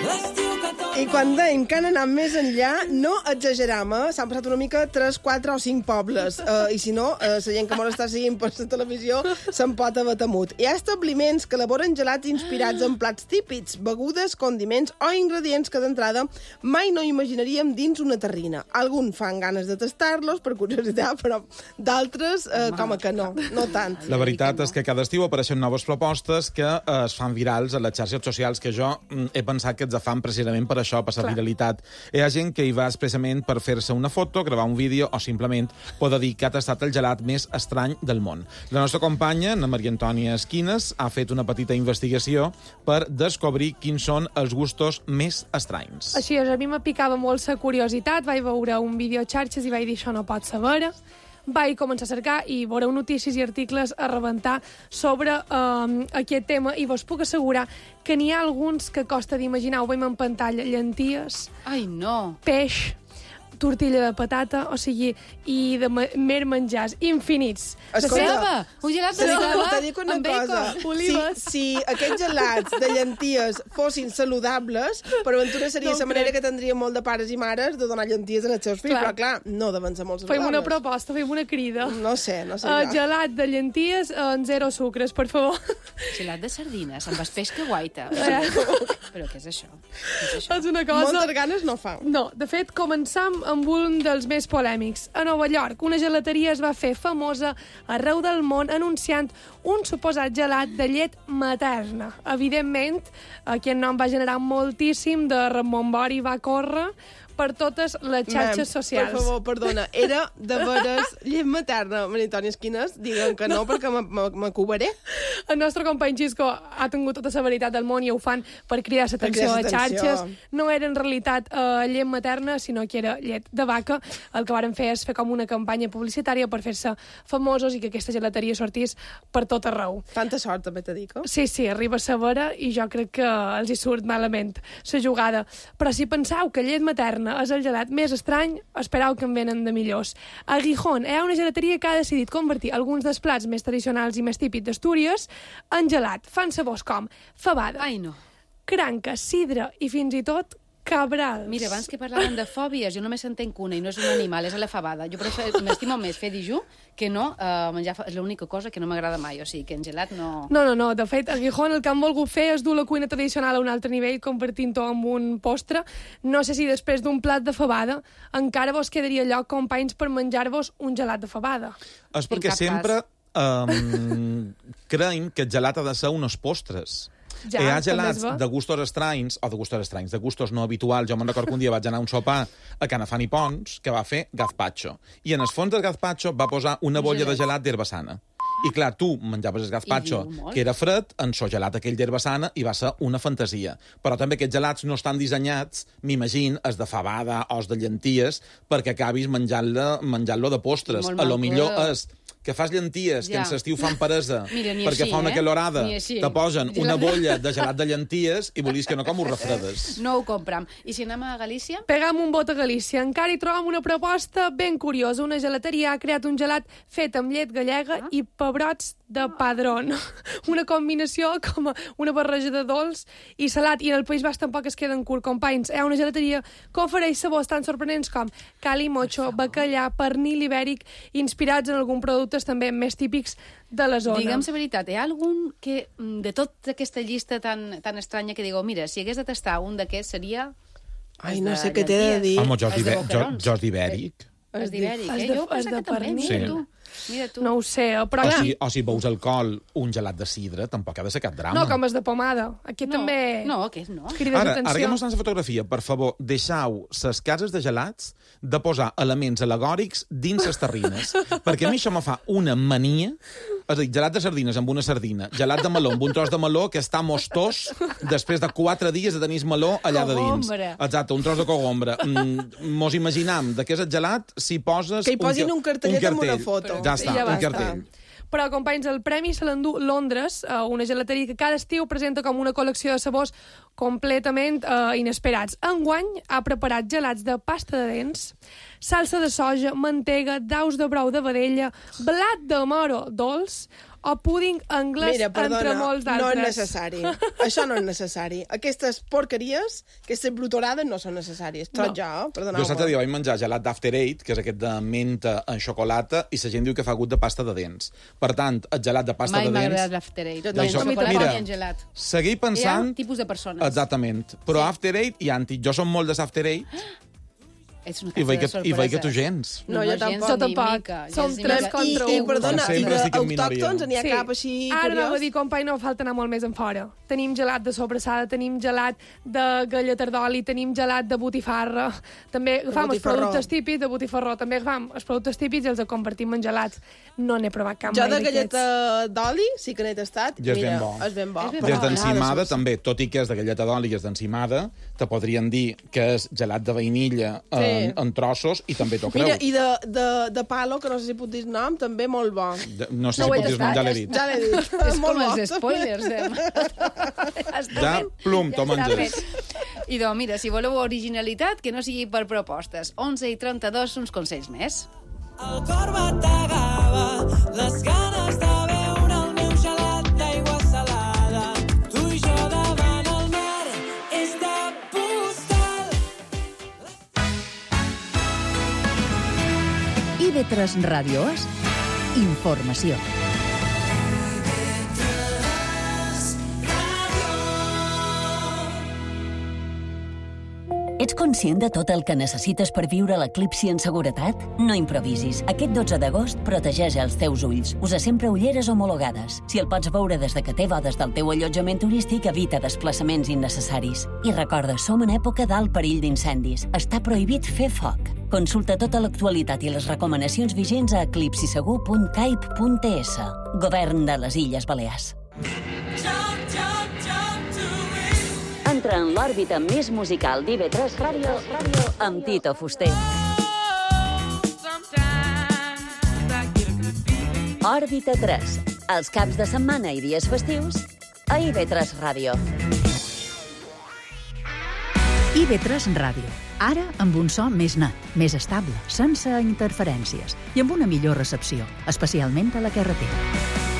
l'estiu que torna... I quan dèiem que han anat més enllà, no exageram, s'han passat una mica 3, 4 o 5 pobles. I si no, la gent que m'ho està seguint per la televisió se'n pot haver temut. Hi ha establiments que elaboren gelats inspirats en plats típics, begudes, condiments o ingredients que d'entrada mai no imaginaríem dins una terrina. Alguns fan ganes de tastar-los per curiositat, però d'altres com que no tant. La veritat és que cada estiu apareixen noves propostes que es fan virals a les xarxes socials, que jo he pensat que ens fan precisament per això, per la viralitat. Hi ha gent que hi va expressament per fer-se una foto, gravar un vídeo o simplement poder dir que ha tastat el gelat més estrany del món. La nostra companya, la Maria Antònia Esquines, ha fet una petita investigació per descobrir quins són els gustos més estranys. Així és, a mi me picava molt la curiositat, vaig veure un vídeo a xarxes i vaig dir això no pot ser vera. Vaig començar a cercar i veureu notícies i articles a rebentar sobre aquest tema i vos puc assegurar que n'hi ha alguns que costa d'imaginar. Ho veiem en pantalla, llenties, Ai, no! peix, tortilla de patata, o sigui, i de mer menjars infinits. Ceba! Un gelat de ceba Te dic una amb cosa. bacon. Olives. Si aquests gelats de llenties fossin saludables, per aventura seria No la manera crec. que tindria molt de pares i mares de donar llenties als seus fills, Clar. però clar, no deuen ser molt Fem saludables. una proposta, fem una crida. No sé jo. Gelat de llenties en zero sucres, per favor. Gelat de sardines, amb peix que guaita. Però què és això? Què és això? És una cosa... Moltes ganes no fa. No, de fet, començam amb un dels més polèmics. A Nova York, una gelateria es va fer famosa arreu del món anunciant un suposat gelat de llet materna. Evidentment, aquest nom va generar moltíssim de remombori, va córrer per totes les xarxes socials. Per favor, perdona, era de veres llet materna, Maria Antònia Esquines? Digue'm que no, perquè m'acubaré. El nostre company Xisco ha tingut tota la veritat del món i ho fan per cridar l'atenció a cridar l'atenció. xarxes. No era en realitat llet materna, sinó que era llet de vaca. El que varen fer és fer com una campanya publicitària per fer-se famosos i que aquesta gelateria sortís per tot arreu. Tanta sort, també te dic. Sí, arriba a saber i jo crec que els hi surt malament la jugada. Però si penseu que llet materna és el gelat més estrany, espereu que en venen de millors. A Gijón hi ha una gelateria que ha decidit convertir alguns dels plats més tradicionals i més típics d'Astúries en gelat. Fan sabors com fabada, Ai, no. cranca, sidra i fins i tot cabrals. Mira, abans que parlàvem de fòbies, jo només entenc una, i no és un animal, és l'elefabada. Jo m'estimo més fer dijú que no menjar... És l'única cosa que no m'agrada mai, o sigui, que en gelat no... No. De fet, a Gijón el que han volgut fer és dur la cuina tradicional a un altre nivell, convertint-ho en un postre. No sé si després d'un plat de fabada encara vos quedaria lloc, companys, per menjar-vos un gelat de fabada. És perquè sempre creiem que el gelat ha de ser uns postres. Ja, hi ha gelats de gustos estranys, de gustos no habituals. Jo me'n recordo que un dia vaig anar a un sopar a Canafant i Pons, que va fer gazpacho. I en el fons del gazpacho va posar una bolla de gelat d'herba sana. I clar, tu menjaves el gazpacho, que era fred, en so gelat aquell d'herba sana, i va ser una fantasia. Però també aquests gelats no estan dissenyats, m'imagino, els de fabada o els de llenties, perquè acabis menjant-lo de postres. A lo millor és que fas llenties, que en l'estiu fan peresa, perquè fa una calorada, te posen una bolla de gelat de llenties i volies que no com ho refredes. No ho compram. I si anem a Galícia? Pegam un bot a Galícia. Encara hi trobem una proposta ben curiosa. Una gelateria ha creat un gelat fet amb llet gallega i pebrots de padrón. Una combinació com una barreja de dolç i salat. I en el País Basc tampoc es queden curt, companys. Hi ha una gelateria que ofereix sabors tan sorprenents com cali, mocho, bacallà, pernil ibèric, inspirats en algun productes també més típics de la zona. Digue'm la veritat, hi ha algun que, de tota aquesta llista tan estranya, que digueu, mira, si hagués de tastar un d'aquests seria... Ai, no sé què t'he de dir. Home, jos d'ibèric. Els d'ibèric, Jo penso que també, mira tu. No ho sé, però... O si veus alcohol, un gelat de sidra, tampoc ha de ser cap drama. No, com els de pomada. Aquí també... No, aquest no. Ara que mostrant la fotografia, per favor, deixeu les cases de gelats de posar elements al·legòrics dins les terrines. Perquè a mi això me fa una mania. És a dir, gelat de sardines amb una sardina, gelat de meló amb un tros de meló que està mostós després de 4 dies de tenir meló allà de dins. Exacte, un tros de cogombra. Mos imaginam de què és el gelat si poses... Que hi posin un cartellet amb una foto. Ja està, un cartell. Però, companys, el premi se l'endú Londres, una gelateria que cada estiu presenta com una col·lecció de sabors completament inesperats. Enguany ha preparat gelats de pasta de dents, salsa de soja, mantega, daus de brou de vedella, blat de moro dolç o púding anglès, entre molts d'altres. No és necessari. Això no és necessari. Aquestes porqueries, aquestes brutorades no són necessàries. Tot jo, perdoneu-me. Jo l'altre dia vaig menjar gelat d'After Eight, que és aquest de menta en xocolata, i la gent diu que fa gust de pasta de dents. Per tant, el gelat de pasta de dents... Mai m'ha agradat l'After Eight. Mira, ni en gelat. Seguir pensant... Hi ha tipus de persones. Exactament. Però After Eight i anti. Jo som molt de l'After Eight. I veig que tu gens. No, jo tampoc. Som 3 contra 1. I perdona, i d'autòctons n'hi ha cap així curiós? Ara anava a dir, company, no falta anar molt més en fora. Tenim gelat de sobrassada, tenim gelat de galleta d'oli, tenim gelat de botifarra. També agafam els productes típics de botifarró. També agafam els productes típics i els convertim en gelats. No n'he provat cap mai d'aquests. Jo de galleta d'oli sí que n'he tastat. Mira, és ben bo. Des d'encimada, també, tot i que és de galleta d'oli i és d'encimada, te podrien dir que és gelat de vainilla en trossos, i també t'ho creu. Mira, i de palo, que no sé si puc dir el nom, també molt bo. No sé si puc dir el nom, ja l'he dit. Ja l'he dit. És com els spoilers. Ja, plum, t'ho menges. Idò, mira, si voleu originalitat, que no sigui per propostes. 11:32, uns consells més. El cor bategava, les ganes de beure el meu gelat d'aigua salada. Tu i jo davant el mar, és de postal. IB3 Ràdio és informació. Ets conscient de tot el que necessites per viure l'eclipsi en seguretat? No improvisis. Aquest 12 d'agost protegeix els teus ulls. Usa sempre ulleres homologades. Si el pots veure des de que té bodes del teu allotjament turístic, evita desplaçaments innecessaris. I recorda, som en època d'alt perill d'incendis. Està prohibit fer foc. Consulta tota l'actualitat i les recomanacions vigents a eclipsisegur.caip.es. Govern de les Illes Balears. Entra en l'òrbita més musical d'IB3 Ràdio amb Tito Fuster. Òrbita 3. Els caps de setmana i dies festius a IB3 Ràdio. IB3 Ràdio. Ara amb un so més net, més estable, sense interferències i amb una millor recepció, especialment a la carretera.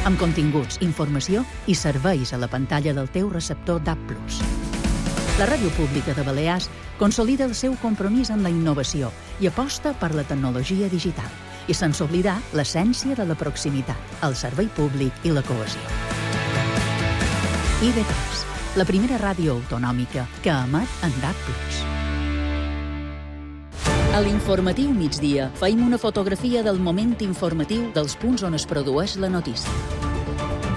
Amb continguts, informació i serveis a la pantalla del teu receptor DAB+. La Ràdio Pública de Balears consolida el seu compromís amb la innovació i aposta per la tecnologia digital. I sense oblidar l'essència de la proximitat, el servei públic i la cohesió. IB3, la primera ràdio autonòmica que emet en DAB+. A l'informatiu migdia feim una fotografia del moment informatiu dels punts on es produeix la notícia.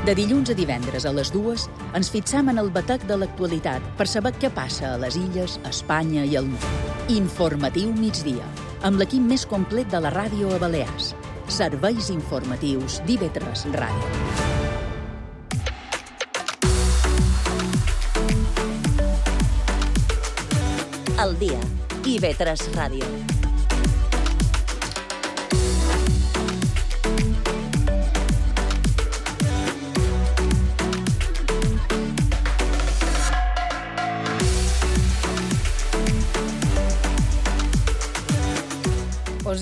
De dilluns a divendres a les 2 ens fixam en el batec de l'actualitat per saber què passa a les illes, a Espanya i al món. Informatiu migdia, amb l'equip més complet de la ràdio a Balears. Serveis informatius d'IB3 Ràdio. Al dia, IB3 Ràdio.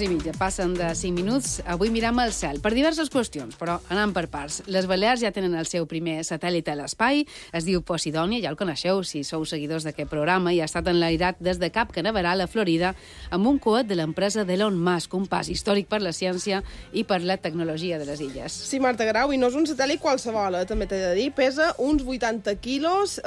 I mitja, passen de 5 minuts. Avui miram el cel per diverses qüestions, però anant per parts. Les Balears ja tenen el seu primer satèl·lit a l'espai, es diu Posidònia, ja el coneixeu si sou seguidors d'aquest programa, i ha estat enlairat des de Cap Canaveral a Florida amb un coet de l'empresa d'Elon Musk, un pas històric per la ciència i per la tecnologia de les illes. Sí, Marta Grau, i no és un satèl·lit qualsevol, també t'he de dir. Pesa uns 80 quilos,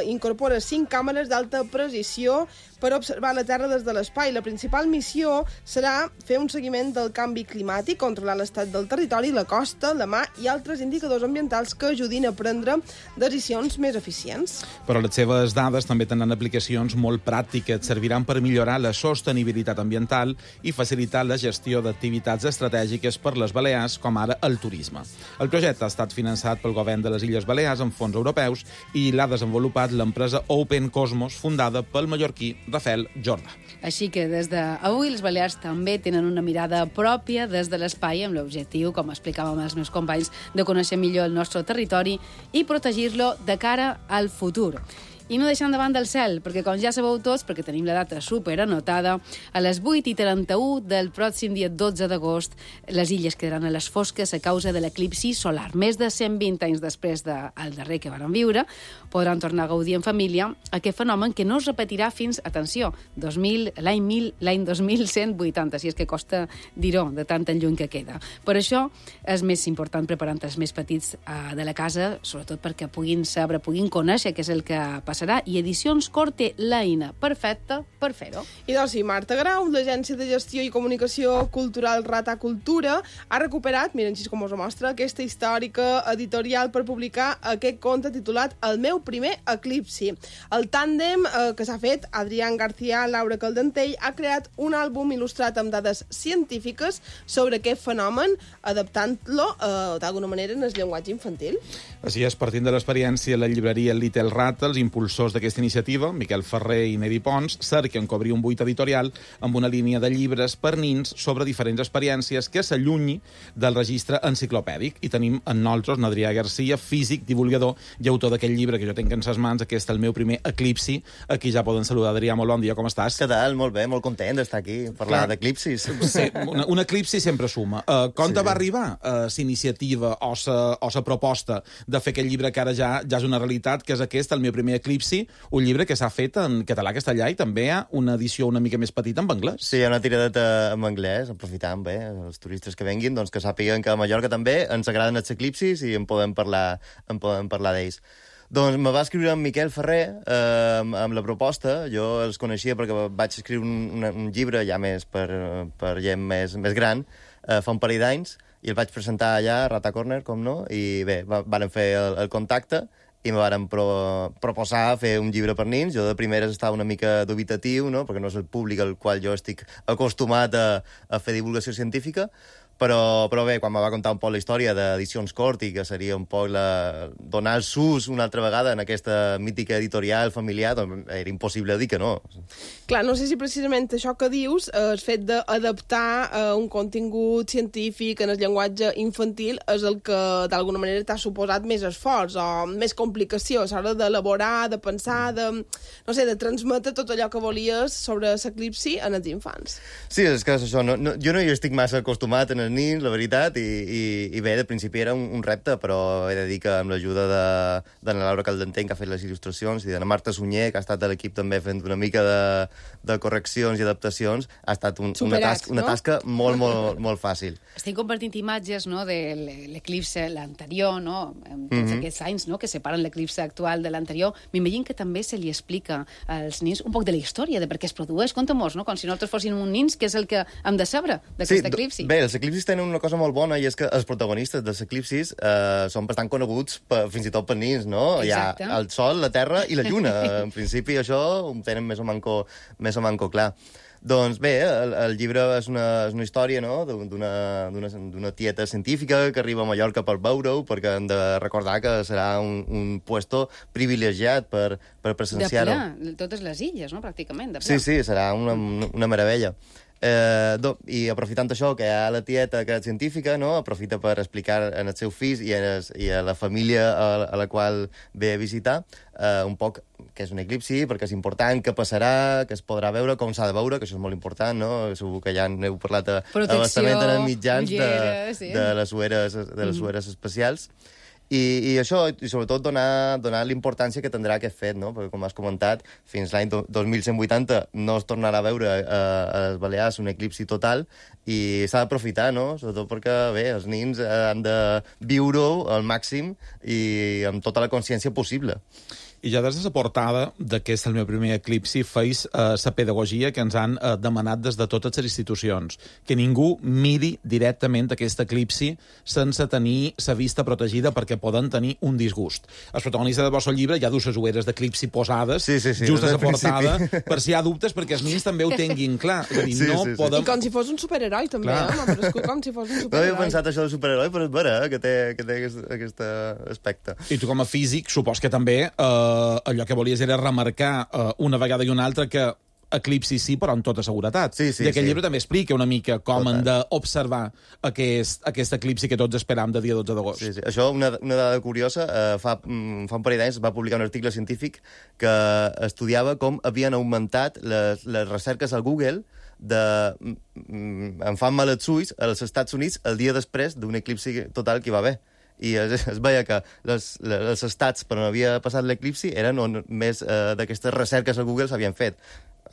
incorpora 5 càmeres d'alta precisió per observar la Terra des de l'espai. La principal missió serà fer un seguiment del canvi climàtic, controlar l'estat del territori, la costa, la mar i altres indicadors ambientals que ajudin a prendre decisions més eficients. Però les seves dades també tenen aplicacions molt pràctiques, serviran per millorar la sostenibilitat ambiental i facilitar la gestió d'activitats estratègiques per les Balears, com ara el turisme. El projecte ha estat finançat pel govern de les Illes Balears amb fons europeus i l'ha desenvolupat l'empresa Open Cosmos, fundada pel mallorquí Rafael Jordà. Així que des d'avui les Balears també tenen una mirada pròpia des de l'espai amb l'objectiu, com explicàvem els meus companys, de conèixer millor el nostre territori i protegir-lo de cara al futur. I no deixant de banda el cel, perquè com ja sabeu tots, perquè tenim la data super anotada, a les 8:31 del pròxim dia 12 d'agost, les illes quedaran a les fosques a causa de l'eclipsi solar. Més de 120 anys després del darrer que varen viure, podran tornar a gaudir en família aquest fenomen que no es repetirà fins, atenció, l'any 2180, si és que costa dir-ho, de tant en lluny que queda. Per això és més important preparar els més petits de la casa, sobretot perquè puguin saber, puguin conèixer què és el que passarà, i Edicions Cor té l'eina perfecta per fer-ho. I doncs sí, Marta Grau, l'Agència de Gestió i Comunicació Cultural Rata Cultura, ha recuperat, miren així com us ho mostra, aquesta històrica editorial per publicar aquest conte titulat El meu primer eclipsi. El tàndem que s'ha fet, Adrián García, Laura Caldentell, ha creat un àlbum il·lustrat amb dades científiques sobre aquest fenomen, adaptant-lo d'alguna manera en el llenguatge infantil. Així és, partint de l'experiència, la llibreria Little Rat, els impulsors d'aquesta iniciativa, Miquel Ferrer i Neri Pons, cerquen cobrir un buit editorial amb una línia de llibres per nins sobre diferents experiències que s'allunyi del registre enciclopèdic. I tenim en nosaltres Adrià Garcia, físic, divulgador i autor d'aquest llibre que jo tinc en ses mans, aquest El meu primer eclipsi. Aquí ja poden saludar. Adrià, molt bon dia, com estàs? Què tal? Molt bé, molt content d'estar aquí, parlar d'eclipsis. Sí, un eclipsi sempre suma. Com te va arribar la iniciativa o la proposta de fer aquest llibre que ara ja és una realitat, que és aquest, El meu primer eclipsi, un llibre que s'ha fet en català, castellà, i també hi ha una edició una mica més petita en anglès. Sí, hi ha una tiradeta en anglès, aprofitant bé els turistes que venguin, doncs que sàpiguen que a Mallorca també ens agraden els eclipsis i en podem parlar d'ells. Doncs me va escriure en Miquel Ferrer amb la proposta. Jo els coneixia perquè vaig escriure un llibre ja més per gent més gran, fa un parell d'anys, i el vaig presentar allà, a Rata Corner, com no, i bé, varen fer el contacte i me varen proposar fer un llibre per nins. Jo de primeres estava una mica dubitatiu, no?, perquè no és el públic al qual jo estic acostumat a fer divulgació científica, però bé, quan me va contar un poc la història d'Edicions Cort i que seria un poc donar el sus una altra vegada en aquesta mítica editorial familiar, doncs era impossible dir que no. Clar, no sé si precisament això que dius, el fet d'adaptar un contingut científic en el llenguatge infantil és el que d'alguna manera t'ha suposat més esforç o més complicació a l'hora d'elaborar, de pensar, de transmetre tot allò que volies sobre l'eclipsi en els infants. Sí, és que és això. Jo no hi estic massa acostumat en els nins, la veritat, i bé, de principi era un repte, però he de dir que amb l'ajuda de la Laura Caldentenc, que ha fet les il·lustracions, i de la Marta Sunyer, que ha estat a l'equip també fent una mica de correccions i adaptacions, ha estat una tasca molt, molt, molt fàcil. Estem compartint imatges, no?, de l'eclipse, l'anterior, no?, amb tots aquests anys, no?, que separen l'eclipse actual de l'anterior. M'imagino que també se li explica als nins un poc de la història, de per què es produeix. Conta-mos, no?, com si nosaltres fossin un nins, que és el que hem de saber d'aquest eclipsi. Bé, els eclipsis tenen una cosa molt bona, i és que els protagonistes dels eclipsis són bastant coneguts fins i tot per nins, no? Exacte. Hi ha el Sol, la Terra i la Lluna. En principi, això ho tenen més o manco clar. Doncs bé, el llibre és una història, no?, d'una tieta científica que arriba a Mallorca per veure-ho, perquè hem de recordar que serà un puesto privilegiat per presenciar-ho. De ple, totes les illes, no?, pràcticament. De ple. Sí, serà una meravella. I aprofitant això, que hi ha la tieta que és científica, no?, aprofita per explicar als seus fills i a la família a la qual ve a visitar un poc què és un eclipsi, perquè és important, què passarà, que es podrà veure, com s'ha de veure, que això és molt important, no? Segur que ja n'heu parlat bastament en els mitjans de les sueres espacials. I això, i sobretot donar l'importància que tindrà aquest fet, no? Perquè, com has comentat, fins l'any 2180 no es tornarà a veure a les Balears un eclipsi total, i s'ha d'aprofitar, no? Sobretot perquè, bé, els nins han de viure-ho al màxim i amb tota la consciència possible. I ja des de la portada d'aquest el meu primer eclipsi feis la pedagogia que ens han demanat des de totes les institucions, que ningú miri directament aquest eclipsi sense tenir la vista protegida perquè poden tenir un disgust. El protagonista del vostre llibre ja du les ulleres d'eclipsi posades just a la portada per si hi ha dubtes, perquè els nins també ho tinguin clar. És a dir, podem... I com si fos un superheroi, també, com si fos un superheroi. No havia pensat això del superheroi, però és vera, que té aquest aspecte. I tu, com a físic, supos que també allò que volies era remarcar una vegada i una altra que eclipsi sí, però amb tota seguretat. I aquest llibre també explica una mica com han d'observar aquest eclipsi que tots esperam de dia 12 d'agost. Sí. Això, una dada curiosa, fa un parell d'anys va publicar un article científic que estudiava com havien augmentat les recerques a Google em fan mal els ulls als Estats Units el dia després d'un eclipsi total que hi va haver. I es veia que els estats per on havia passat l'eclipsi eren on més d'aquestes recerques a Google s'havien fet.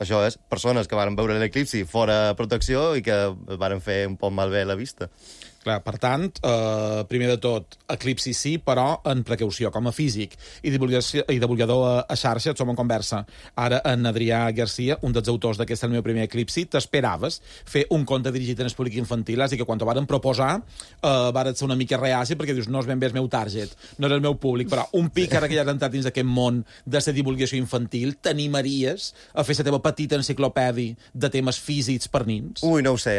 Això és persones que van veure l'eclipsi fora protecció i que van fer un poc malbé la vista. Clar, per tant, primer de tot, eclipsi sí, però en precaució, com a físic i divulgador a xarxa, som en conversa. Ara, en Adrià Garcia, un dels autors d'aquest El meu primer eclipsi, t'esperaves fer un conte dirigit en el públic infantil, és a dir, que quan t'ho varen proposar, varen ser una mica reaci, perquè dius, no és ben bé el meu target, no és el meu públic, però un pic, ara que ja has entrat dins d'aquest món de la divulgació infantil, t'animaries a fer la teva petita enciclopèdia de temes físics per nins? Ui, no ho sé.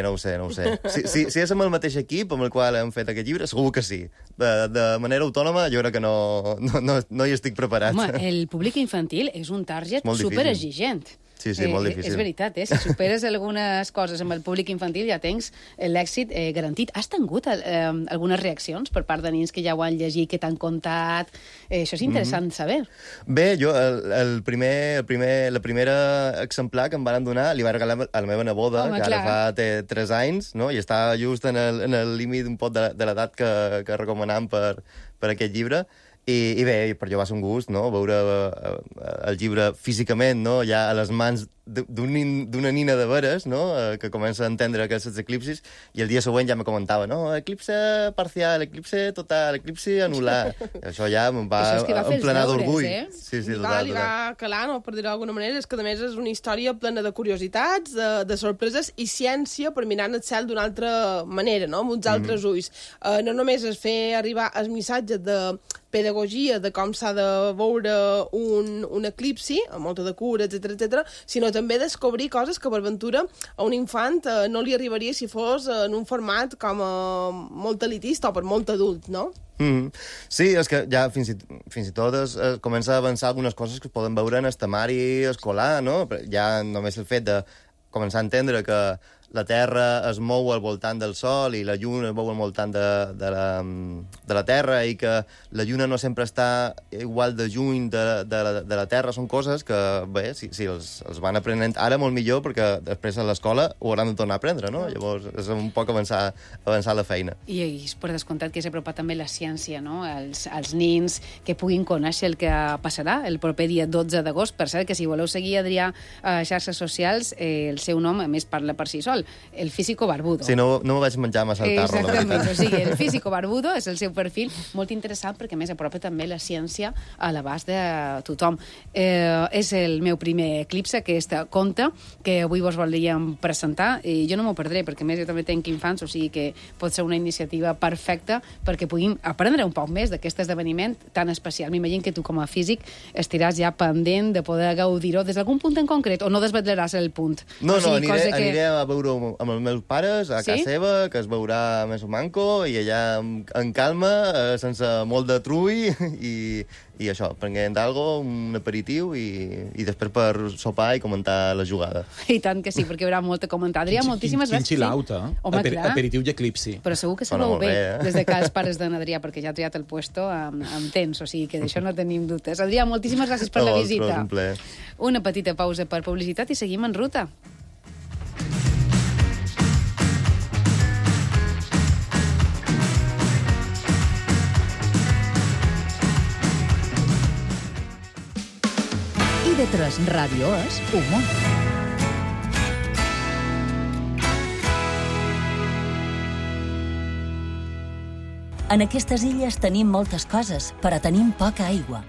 Si és amb el mateix equip amb el qual hem fet aquest llibre, segur que sí. De manera autònoma, jo crec que no hi estic preparat. Home, el públic infantil és un target superexigent. Sí, molt difícil. És veritat, si superes algunes coses amb el públic infantil ja tens l'èxit garantit. Has tingut algunes reaccions per part de nins que ja ho han llegit, que t'han contat? Això és interessant saber. Bé, jo la primera exemplar que em van donar li va regalar a la meva neboda, que ara fa 3 anys, no? I està just en el límit un poc de l'edat que recomanam per aquest llibre. I bé, per jo va ser un gust, no?, veure el llibre físicament, no?, ja a les mans d'una nina de veres, no?, que comença a entendre aquests eclipsis, i el dia següent ja me comentava, no, eclipse parcial, eclipse total, eclipse anular. Això ja em va emplenar d'orgull. Sí, li va calar, no?, per dir-ho d'alguna manera. És que, a més, és una història plena de curiositats, de sorpreses i ciència per mirar el cel d'una altra manera, no?, amb uns altres ulls. No només és fer arribar el missatge de pedagogia de com s'ha de veure un eclipsi, amb molta de cura, etc, sinó també descobrir coses que per ventura a un infant no li arribaria si fos en un format com molt elitista o per molt adult, no? Sí, és que ja fins i tot es comença a avançar algunes coses que es poden veure en el temari escolar, no? Ja només el fet de començar a entendre que la Terra es mou al voltant del Sol i la Lluna es mou al voltant de la Terra i que la Lluna no sempre està igual de lluny de la Terra, són coses que, bé, si els van aprenent ara molt millor, perquè després a l'escola ho hauran de tornar a aprendre, no? Llavors és un poc avançar la feina. I per descomptat que s'ha apropat també la ciència, no? Els nins que puguin conèixer el que passarà el proper dia 12 d'agost. Per cert, que si voleu seguir Adrià a xarxes socials, el seu nom, a més, parla per si sol, el Físico Barbudo. Sí, no m'ho vaig menjar massa al tarro, la veritat. Exactament, o sigui, el Físico Barbudo és el seu perfil, molt interessant perquè, a més, apropa també la ciència a l'abast de tothom. És el meu primer eclipse, aquest conte que avui vos volíem presentar, i jo no m'ho perdré, perquè, a més, jo també tenc infants, o sigui que pot ser una iniciativa perfecta perquè puguin aprendre un poc més d'aquest esdeveniment tan especial. M'imagino que tu, com a físic, estiràs ja pendent de poder gaudir-ho des d'algun punt en concret, o no desvetllaràs el punt? No, aniré a veure-ho amb els meus pares, a casa seva, que es veurà més o manco, i allà en calma, sense molt de trull, i això, prenguent algo, un aperitiu, i després per sopar i comentar la jugada. I tant que sí, perquè hi haurà molt a comentar. Adrià, moltíssimes gràcies. Quin xilauta, aperitiu i eclipsi. Però segur que sabeu bé, des de que els pares d'en Adrià, perquè ja ha triat el puesto amb temps, o sigui que d'això no tenim dubtes. Adrià, moltíssimes gràcies per la visita. Una petita pausa per publicitat i seguim en ruta. IB3 Ràdio és humor. En aquestes illes tenim moltes coses, però tenim poca aigua.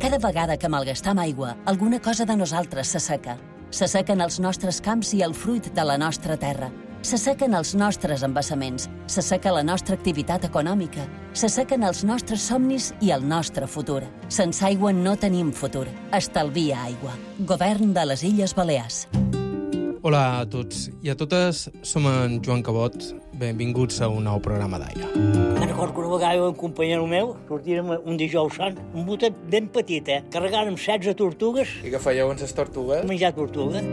Cada vegada que malgastam aigua, alguna cosa de nosaltres s'asseca. S'assequen els nostres camps i el fruit de la nostra terra. S'assequen els nostres embassaments, s'asseca la nostra activitat econòmica, s'assequen els nostres somnis i el nostre futur. Sense aigua no tenim futur. Estalvia aigua. Govern de les Illes Balears. Hola a tots i a totes, som en Joan Cabot. Benvinguts a un nou programa d'Aire. Me'n recordo que una vegada un companyero meu sortirem un dijous sant, un botet ben petit, carregant amb 16 tortugues. I què fèieu amb les tortugues? Menjar tortuga.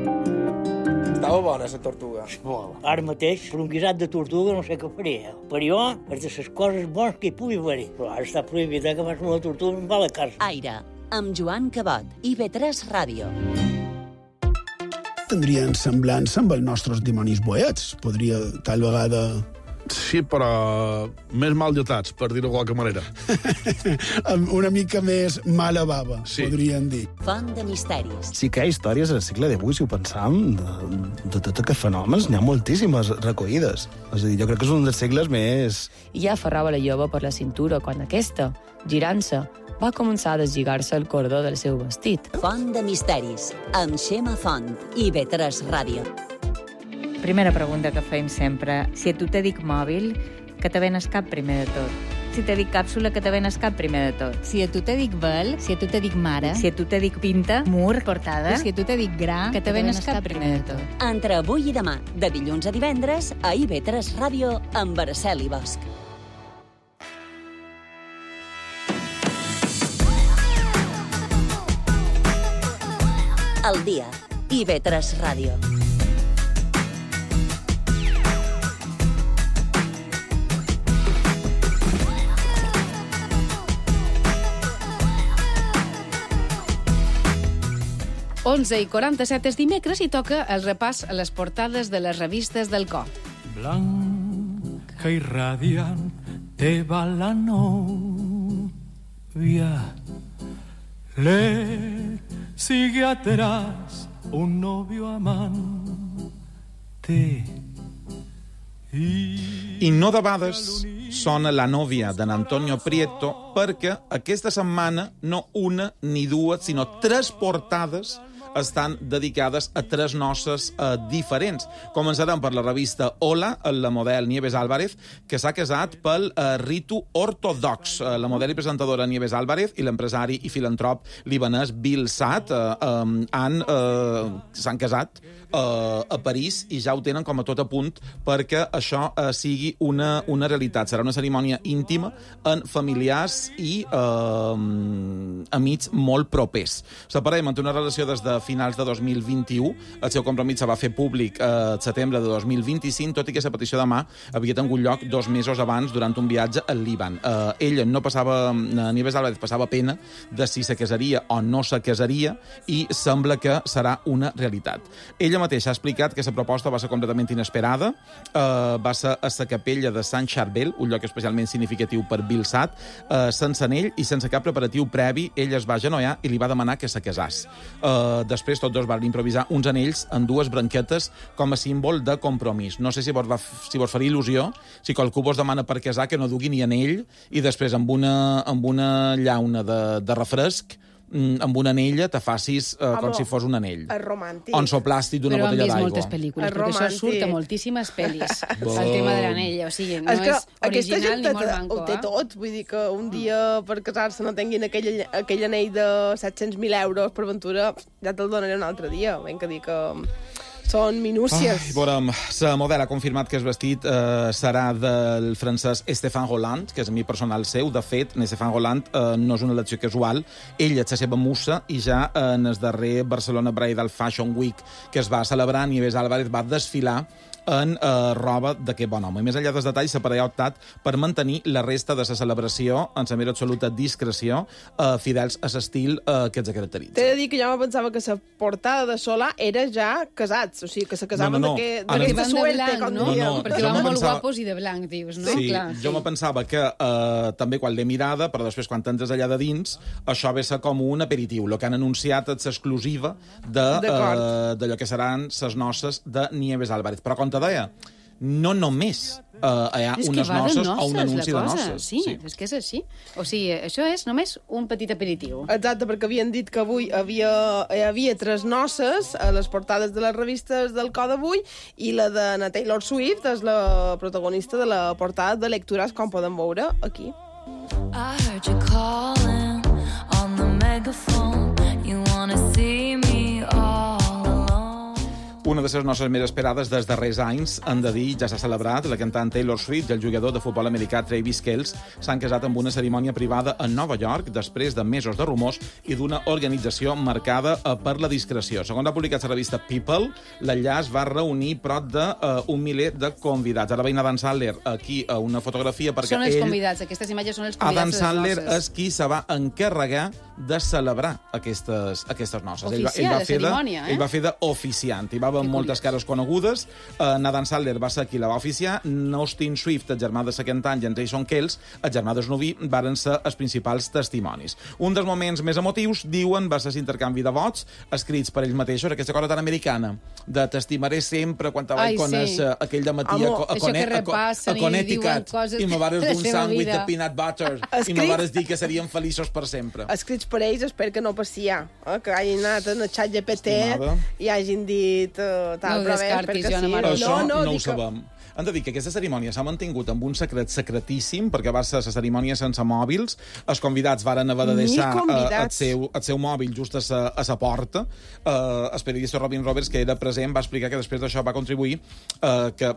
Estava bona, la tortuga. Molt. Ara mateix, per un guisat de tortuga, no sé què faria. Per jo, és de les coses bones que hi pugui haver-hi. Però ara està prohibit que fas una tortuga en va a la casa. Aire, amb Joan Cabot, IB3 Ràdio. Tindrien semblança amb els nostres dimonis boets. Podria, tal vegada... Sí, però més mal dotats, per dir-ho de qualque manera. Una mica més mala bava, sí. Podríem dir. Font de misteris. Sí que hi ha històries al segle XVIII, si ho pensam, de tots aquests fenòmens, n'hi ha moltíssimes recollides. És a dir, jo crec que és un dels segles més... I ja aferrava la jove per la cintura quan aquesta, girant-se, va començar a deslligar-se el cordó del seu vestit. Font de misteris, amb Xema Font, IB3 Ràdio. Primera pregunta que feim sempre. Si a tu te dic mòbil, que te ven el cap primer de tot? Si te dic càpsula, que te ven el cap primer de tot? Si a tu te dic vel, si a tu te dic mare, si a tu te dic pinta, mur, portada, si a tu te dic gra, que te ven el cap primer de tot? Entre avui i demà, de dilluns a divendres, a IB3 Ràdio, amb Araceli Bosch. El dia, IB3 Ràdio. Onze i 47 és dimecres i toca el repàs a les portades de les revistes del cor. Blanca i radiant te va la novia, le sigue atrás un novio amante. I no debades sona La nòvia d'en Antonio Prieto perquè aquesta setmana no una ni dues, sinó 3 portades estan dedicades a 3 noces diferents. Començarem per la revista Hola, la model Nieves Álvarez, que s'ha casat pel ritu ortodox. La model i presentadora Nieves Álvarez i l'empresari i filantrop libanès Bill Saad s'han casat a París i ja ho tenen com a tot a punt perquè això sigui una realitat. Serà una cerimònia íntima en familiars i amics molt propers. La parella manté una relació des de finals de 2021. El seu compromís se va fer públic al setembre de 2025, tot i que la petició de mà havia tingut lloc 2 mesos abans durant un viatge al Líban. Ella no passava, Nieves Álvarez passava pena de si se casaria o no se casaria i sembla que serà una realitat. Ella mateixa ha explicat que la proposta va ser completament inesperada, va ser a la capella de Sant Charbel, un lloc especialment significatiu per Bill Sad, sense anell i sense cap preparatiu previ, ella es va agenollar i li va demanar que se casàs. Després tots dos van improvisar uns anells en 2 branquetes com a símbol de compromís. No sé si vos faria il·lusió, si qualcú vos demana per casar que no dugui ni anell i després amb una llauna de refresc, amb una anella te facis com si fos un anell. És romàntic. O en soplàstic d'una botella d'aigua. Però han vist moltes pel·lícules, perquè això surt a moltíssimes pel·lis, el tema de l'anella. O sigui, no és original ni molt manco. Ho té tot, vull dir que un dia per casar-se no tinguin aquell anell de 700.000 euros per ventura, ja te'l donaré un altre dia. Ben que dir que són minúcies. Veurem, la model ha confirmat que el vestit serà del francès Stéphane Rolland, que és amic personal seu. De fet, Stéphane Rolland no és una elecció casual. Ella és la seva musa i ja en el darrer Barcelona Bridal Fashion Week que es va celebrar, Nieves Álvarez va desfilar en roba d'aquest bon home. I més enllà dels detalls, la parella ha optat per mantenir la resta de la celebració en la més absoluta discreció, fidels a l'estil que els caracteritza. T'he de dir que jo me pensava que la portada de Solà era ja casats, o sigui, que se casaven d'aquesta suerte, com diríem. Perquè van molt guapos i de blanc, dius, no? Sí, jo me pensava que també quan l'he mirada, però després quan t'entres allà de dins, això ve ser com un aperitiu. El que han anunciat és l'exclusiva d'allò que seran les noces de Nieves Álvarez. Però com te deia, no només hi ha unes noces o un anunci de noces. Sí, és que és així. O sigui, això és només un petit aperitiu. Exacte, perquè havien dit que avui hi havia 3 noces a les portades de les revistes del Code Avui i la de Taylor Swift és la protagonista de la portada de Lectures, com podem veure aquí. I heard you calling on the megaphone. You wanna see me all alone. Una de les noces més esperades dels darrers anys, han de dir, ja s'ha celebrat. La cantant Taylor Swift i el jugador de futbol americà Travis Kelce s'han casat amb una cerimònia privada a Nova York després de mesos de rumors i d'una organització marcada per la discreció. Segons ha publicat la revista People, l'enllaç va reunir prop d'un miler de convidats. Ara veiem Adam Sandler aquí a una fotografia perquè són els convidats, aquestes imatges són els convidats Adam de les Sandler noces. és qui se va encarregar de celebrar aquestes noces. Oficial, de cerimònia, Ell va fer d'oficiant, hi va haver moltes cares conegudes. Adam Sandler va ser qui la va oficiar. Austin Swift, el germà de la cantant, i en Jason Kelce, el germà del Snoopy, varen ser els principals testimonis. Un dels moments més emotius, diuen, va ser l'intercanvi de vots escrits per ells mateixos, aquesta cosa tan americana, de t'estimaré sempre quan te vaig conèixer aquell dematí a Connecticut i me vares d'un sàndwich de peanut butter i me vares dir que serien feliços per sempre. Escrits per ells, espero que no passia, que hagin anat en el xat GPT i hagin dit tal, no ho descartis, Joana Marc. Això no ho sabem. Han de dir que aquesta cerimònia s'ha mantingut amb un secret secretíssim, perquè va ser la cerimònia sense mòbils. Els convidats varen haver de deixar el seu mòbil just a la porta. El periodista Robin Roberts, que era present, va explicar que després d'això va contribuir que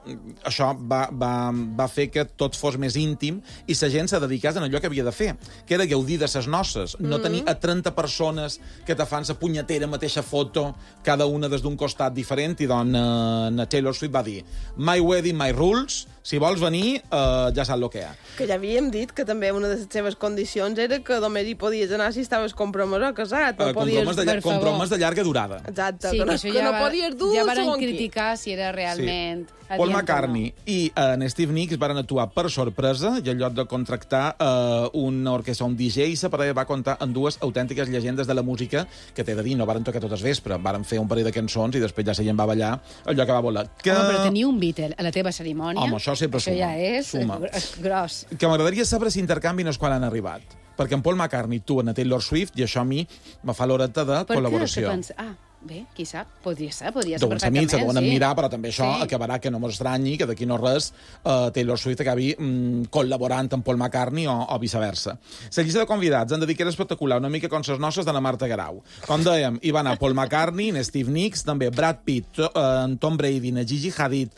això va fer que tot fos més íntim i la gent se dedicés a allò que havia de fer, que era gaudir de ses noces, no tenir a 30 persones que te fan la punyetera mateixa foto, cada una des d'un costat diferent, i doncs Taylor Swift va dir My wedding, my rules, si vols venir, ja saps el que hi ha. Que ja havíem dit que també una de les seves condicions era que només hi podies anar si estaves compromès o casat. Compromès de llarga durada. Exacte, sí, que no podies dur ja van criticar si era realment... Paul McCartney i Steve Nicks van actuar per sorpresa i en lloc de contractar una orquestra, un DJ, la parella va comptar amb 2 autèntiques llegendes de la música que t'he de dir, no varen tocar tot el vespre, varen fer un parell de cançons i després ja la gent va ballar allò que va volar. Però tenir un Beatle a la teva cerimònia... Home, això sempre suma. Això ja és gros. Que m'agradaria saber si intercanvi no és quan han arribat. Perquè en Paul McCartney actuen a Taylor Swift i això a mi me fa l'horeta de col·laboració. Bé, qui sap? Podria ser doncs a mi se deuen admirar, però també això acabarà que no m'estranyi que d'aquí no res Taylor Swift acabi col·laborant amb Paul McCartney o viceversa. La llista de convidats han de dir que era espectacular, una mica com les noces de la Marta Garau. Com dèiem, hi va anar Paul McCartney, Steve Nicks, també Brad Pitt, Tom Brady, Gigi Hadid,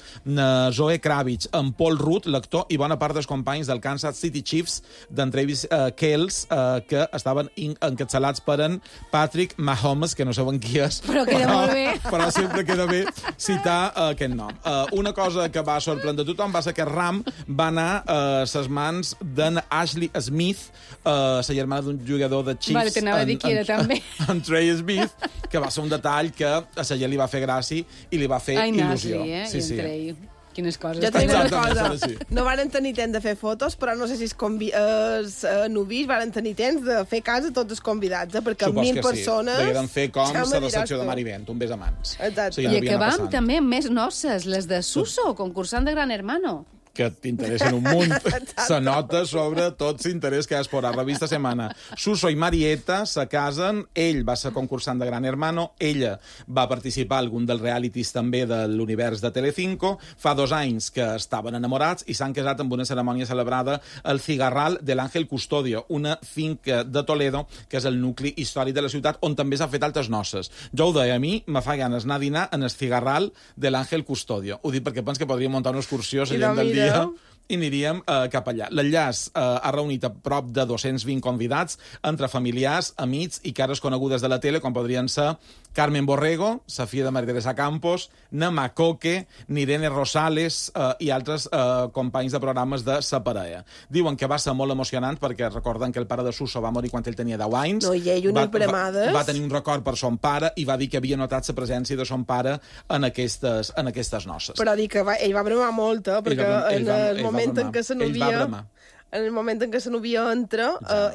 Zoe Kravitz, Paul Rudd, l'actor, i bona part dels companys del Kansas City Chiefs d'en Travis Kelce, que estaven encapçalats per en Patrick Mahomes, que no saben qui és, Però queda molt bé. Però sempre queda bé citar aquest nom. Una cosa que va sorprendre tothom va ser que Ram va anar a les mans d'en Ashley Smith, la germana d'un jugador de Chiefs. Vale, t'anava a dir qui era, també. En Trey Smith, que va ser un detall que a la gent li va fer gràcia i li va fer il·lusió. Ai, Nasli, I en Trey. Quines coses. Jo tinc una cosa. No varen tenir temps de fer fotos, però no sé si els novis varen tenir temps de fer cas a tots els convidats, perquè 1.000 persones... Degueren fer com la recepció de Marivent, un bes a mans. Exacte. I acabam també amb més noces, les de Suso, concursant de Gran Hermano. Que t'interessen un munt. Se nota sobre tot l'interès que has por a revista Semana. Suso i Marieta se casen, ell va ser concursant de Gran Hermano, ella va participar a algun dels realities també de l'univers de Telecinco, fa 2 anys que estaven enamorats i s'han casat amb una cerimònia celebrada al Cigarral de l'Àngel Custodio, una finca de Toledo, que és el nucli històric de la ciutat, on també s'ha fet altres noces. Jo ho deia, a mi me fa ganes anar a dinar en el Cigarral de l'Àngel Custodio. Ho dic perquè penso que podríem muntar una excursió a la gent del dia i aniríem cap allà. L'enllaç ha reunit a prop de 220 convidats, entre familiars, amics i cares conegudes de la tele, com podrien ser Carmen Borrego, la filla de Maria Teresa Campos, Nama Coque, Irene Rosales i altres companys de programes de sa parella. Diuen que va ser molt emocionant perquè recorden que el pare de Suso va morir quan ell tenia 10 anys. No, i ell unes bremades. Va tenir un record per son pare i va dir que havia notat la presència de son pare en aquestes noces. Però dic que ell va bremar molt, perquè en el moment en què el moment en què la novia entra,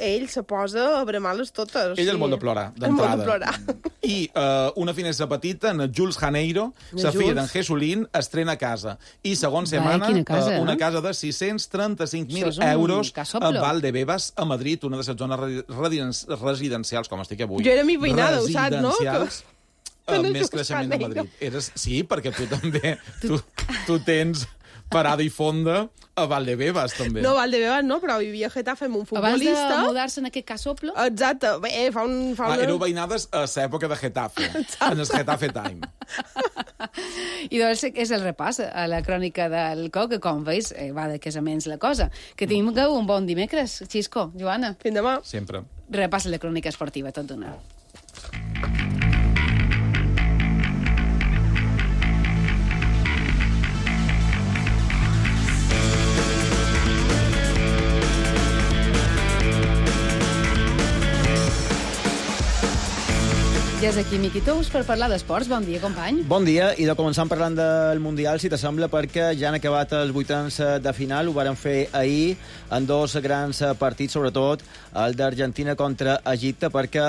ell se posa a bremar-les totes. Ell és molt de plorar, d'entrada. I una finestra petita, en Jules Janeiro, la filla d'en Jesulín, estrena casa. I segons setmana, una casa de 635.000 euros a Valdebebas, a Madrid, una de les zones residencials, com estic avui. Jo era mi veïnada, ho saps, no? Amb més creixement de Madrid. Sí, perquè tu també... Tu tens parada i fonda a Valdebebas, també. No, Valdebebas no, però vivia a Getafe amb un futbolista. Abans de mudar-se en aquest casoplo? Exacte. Fa una... Éreu veïnades a l'època de Getafe, en el Getafe Time. I doncs és el repàs a la crònica del COC, que com veus va de casaments la cosa. Que tingueu un bon dimecres, Xisco, Joana. Fins demà. Sempre. Repàs la crònica esportiva, tot d'una. Ja és aquí Miqui Tous per parlar d'esports. Bon dia, company. Bon dia, i de començar parlant del Mundial, si t'assembla, perquè ja han acabat els 8 de final, ho varen fer ahir en 2 grans partits, sobretot el d'Argentina contra Egipte, perquè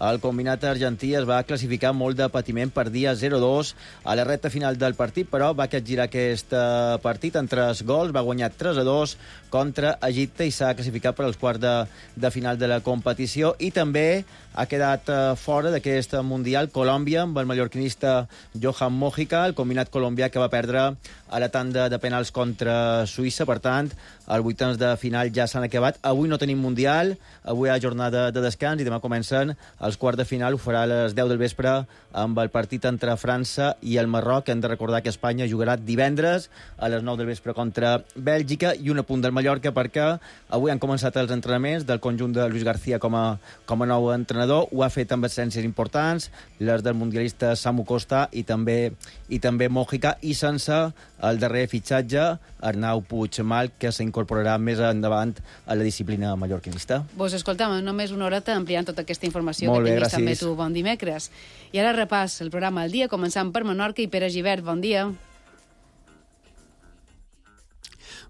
el combinat argentí es va classificar molt de patiment, perdia 0-2 a la recta final del partit, però va capgirar aquest partit en 3 gols, va guanyar 3-2 contra Egipte i s'ha classificat per als quarts de final de la competició, i també ha quedat fora d'aquest Mundial Colòmbia amb el mallorquinista Johan Mojica, el combinat colombià que va perdre a la tanda de penals contra Suïssa. Per tant, els 8 de final ja s'han acabat. Avui no tenim Mundial, avui hi ha jornada de descans i demà comencen els quarts de final. Ho farà a les 10 del vespre amb el partit entre França i el Marroc. Hem de recordar que Espanya jugarà divendres a les 9 del vespre contra Bèlgica, i un apunt del Mallorca perquè avui han començat els entrenaments del conjunt de Luis García com a nou entrenador. Ho ha fet amb absències importants, les del mundialista Samu Costa i també Mojica, i sense el darrer fitxatge, Arnau Puigmal, que s'incorporarà més endavant a la disciplina mallorquinista. Vos escoltam, només una horeta ampliant tota aquesta informació Molt que bé, tinguis també gràcies. tu. Bon dimecres. I ara repàs el programa al dia, començant per Menorca i Pere Givert. Bon dia.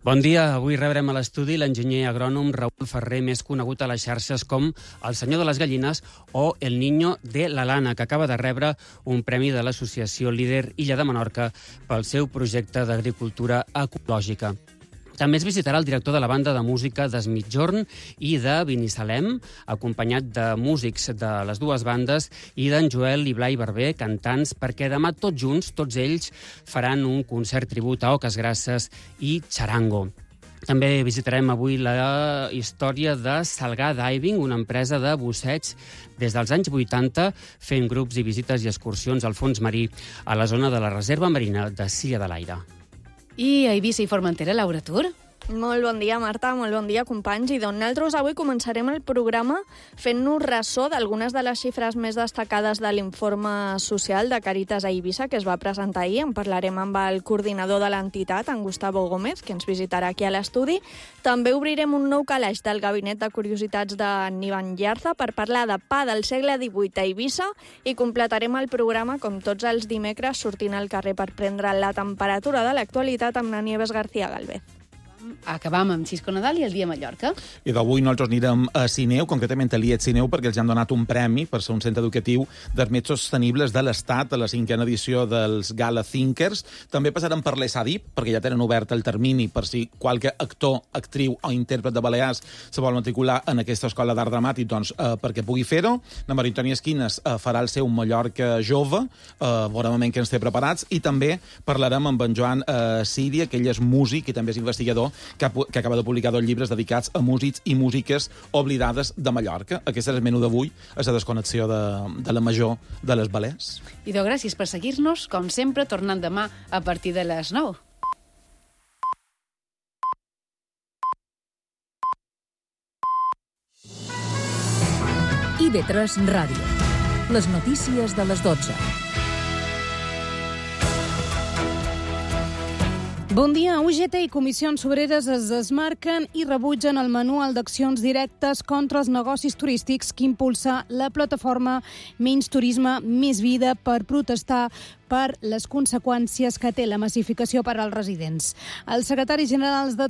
Bon dia. Avui rebrem a l'estudi l'enginyer agrònom Raül Ferrer, més conegut a les xarxes com el senyor de les gallines o el niño de la lana, que acaba de rebre un premi de l'associació Líder Illa de Menorca pel seu projecte d'agricultura ecològica. També es visitarà el director de la banda de música d'Es Migjorn i de Binissalem, acompanyat de músics de les dues bandes i d'en Joel i Blai Barber, cantants, perquè demà tots junts, tots ells, faran un concert tribut a Oques Grasses i Charango. També visitarem avui la història de Salgar Diving, una empresa de busseig des dels anys 80, fent grups i visites i excursions al fons marí a la zona de la Reserva Marina de Silla de l'Aire. I a Eivissa i Formentera, Laura Tur? Molt bon dia, Marta, molt bon dia, companys. I doncs nosaltres avui començarem el programa fent-nos ressò d'algunes de les xifres més destacades de l'informe social de Càritas a Eivissa, que es va presentar ahir. En parlarem amb el coordinador de l'entitat, en Gustavo Gómez, que ens visitarà aquí a l'estudi. També obrirem un nou calaix del Gabinet de Curiositats de Nivan Llarza per parlar de pa del segle XVIII a Eivissa i completarem el programa, com tots els dimecres, sortint al carrer per prendre la temperatura de l'actualitat amb la Nieves García Galvez. Acabam amb Xisco Nadal i el dia a Mallorca. I d'avui nosaltres anirem a Sineu, concretament a l'IET Sineu, perquè els han donat un premi per ser un centre educatiu dels més sostenibles de l'Estat a la 5a edició dels Gala Thinkers. També passarem per l'ESADIP, perquè ja tenen obert el termini per si qualque actor, actriu o intèrpret de Balears se vol matricular en aquesta escola d'art dramàtic, doncs perquè pugui fer-ho. La Maria Antònia Esquines farà el seu Mallorca jove, veurem què ens té preparats, i també parlarem amb en Joan Síria, que ell és músic i també és investigador, que acaba de publicar 2 llibres dedicats a músics i músiques oblidades de Mallorca. Aquest és el menú d'avui, és la desconnexió de la major de les Balears. I gràcies per seguir-nos, com sempre, tornant demà a partir de les 9. IB3 Ràdio. Les notícies de les 12. Bon dia. UGT i Comissions Obreres es desmarquen i rebutgen el manual d'accions directes contra els negocis turístics que impulsa la plataforma Menys Turisme, Més Vida per protestar per les conseqüències que té la massificació per als residents. Els secretaris generals de